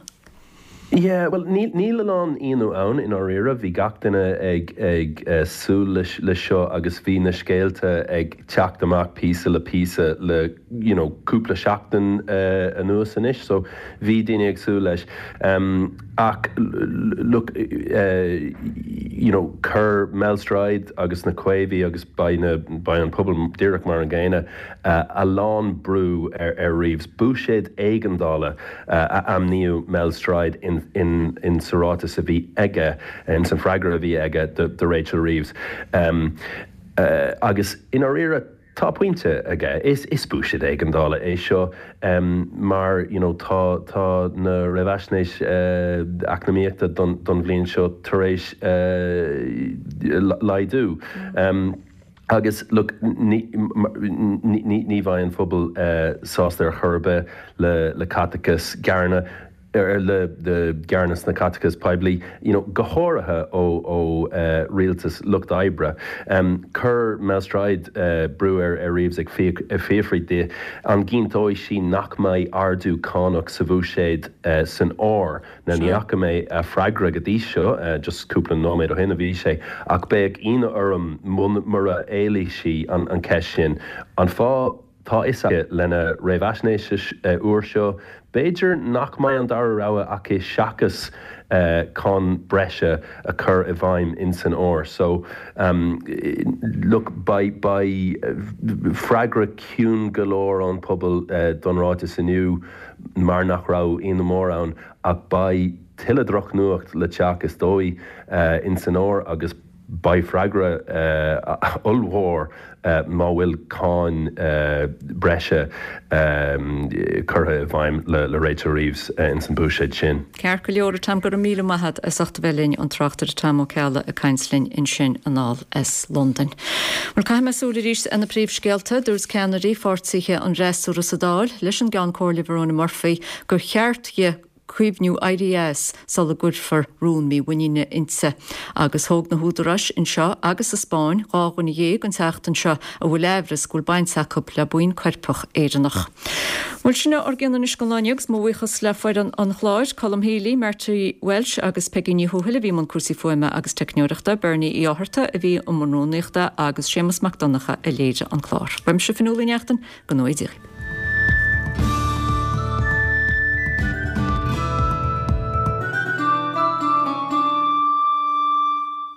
Yeah, well níl níl a lán ionadh ann i ndáiríre, bhí gach duine ag ag uh, súil leis le seo agus bhí na scéalta ag teacht amach píosa le píosa le you know, cúpla seachtain uh, anuas anois, so bhí daoine ag súil leis. Um, ach look, uh, you know, chuir Mel Stride agus na Caomhaigh agus beidh na beidh an pobal díreach mar an gcéanna uh, a lán brú ar, ar Reeves. Buiséad éigeandála uh, a ainmníodh Mel Stride in in, in sa ráiteas a bhí aige in san freagra a bhí aige do, do Rachel Reeves. Um, uh, agus i ndáiríre tá pointe aige is is buiséad éigeandála é seo um, mar you know, tá tá na réamhaisnéis uh, eacnamaíochta don, don bhliain seo tar éis uh, laghdú. Um, agus look, ní, ní, ní bheidh an phobal uh, sásta ar chor ar bith le, le caiteachas gearradh ar le de gearradh na caiteachas poiblí, you know, go háirithe ó ó uh, rialtas lucht oibre. Um, Chuir Mel Stride uh, brú ar ar Reeves ag fiafraí di an gcinnteoidh sí nach mbeidh ardú cánach sa bhuiséad uh, san fhómhar. Na ní fhaca mé a freagra go dtí seo uh, just cúpla nóiméad ó shin a bhí sé ach beidh ionadh orm mura éiligh sí an, an ceist sin. An fáth tá is lena réamhaisnéis úr seo, b'fhéidir nach mbeidh an dara rogha aici seachas uh, cáin breise a chur i bhfeidhm in san fhómhar. So um, look beidh beidh freagra ciúin go leor ón pobal uh, don ráiteas inniu mar nach raibh ionadh mór ann ach beidh tuilleadh drochnuacht le teacht is dóigh uh, in san fhómhar agus Beidh freagra ollmhór má bhfuil cáin breise curtha i bhfeidhm le Rachel Reeves ins an bhuiséad sin. Ceart go leor, a Tom, go raibh míle maith agat as ucht a bheith linn, an tráchtaire Tom Ó Ceallaigh ag caint linn ansin anall as Londain. Bhuel, caithfidh mé súil arís ar na príomhscéalta. Dúirt ceannairí pháirtithe an fhreasúra sa Dáil leis an gCeann Comhairle Verona Murphy gur cheart di cuimhniú éirí as sula gcuirfear rún mímhuiníne inti. Agus thóg na húdaráis anseo agus sa Spáinn dhá dhuine dhéag an tseachtain seo a bhfuil aimhreas go bhfuil baint acu le buíon coirpeach Éireannach. Bhuel, sin ár gcion anois don lá inniu agus mo bhuíochas le foireann an chláir, Colm Healy, Marty Walsh agus Peggy Ní Thuathail a bhí i mbun cúrsaí fuaime agus teicneoireachta, Bernie Uí Fhátharta a bhí i mbun rúnaíochta agus Séamus Mac Donncha a léirigh an clár. Beidh mise Fionnuala Ní Neachtain, go ngnóthaí Dia dhaoibh.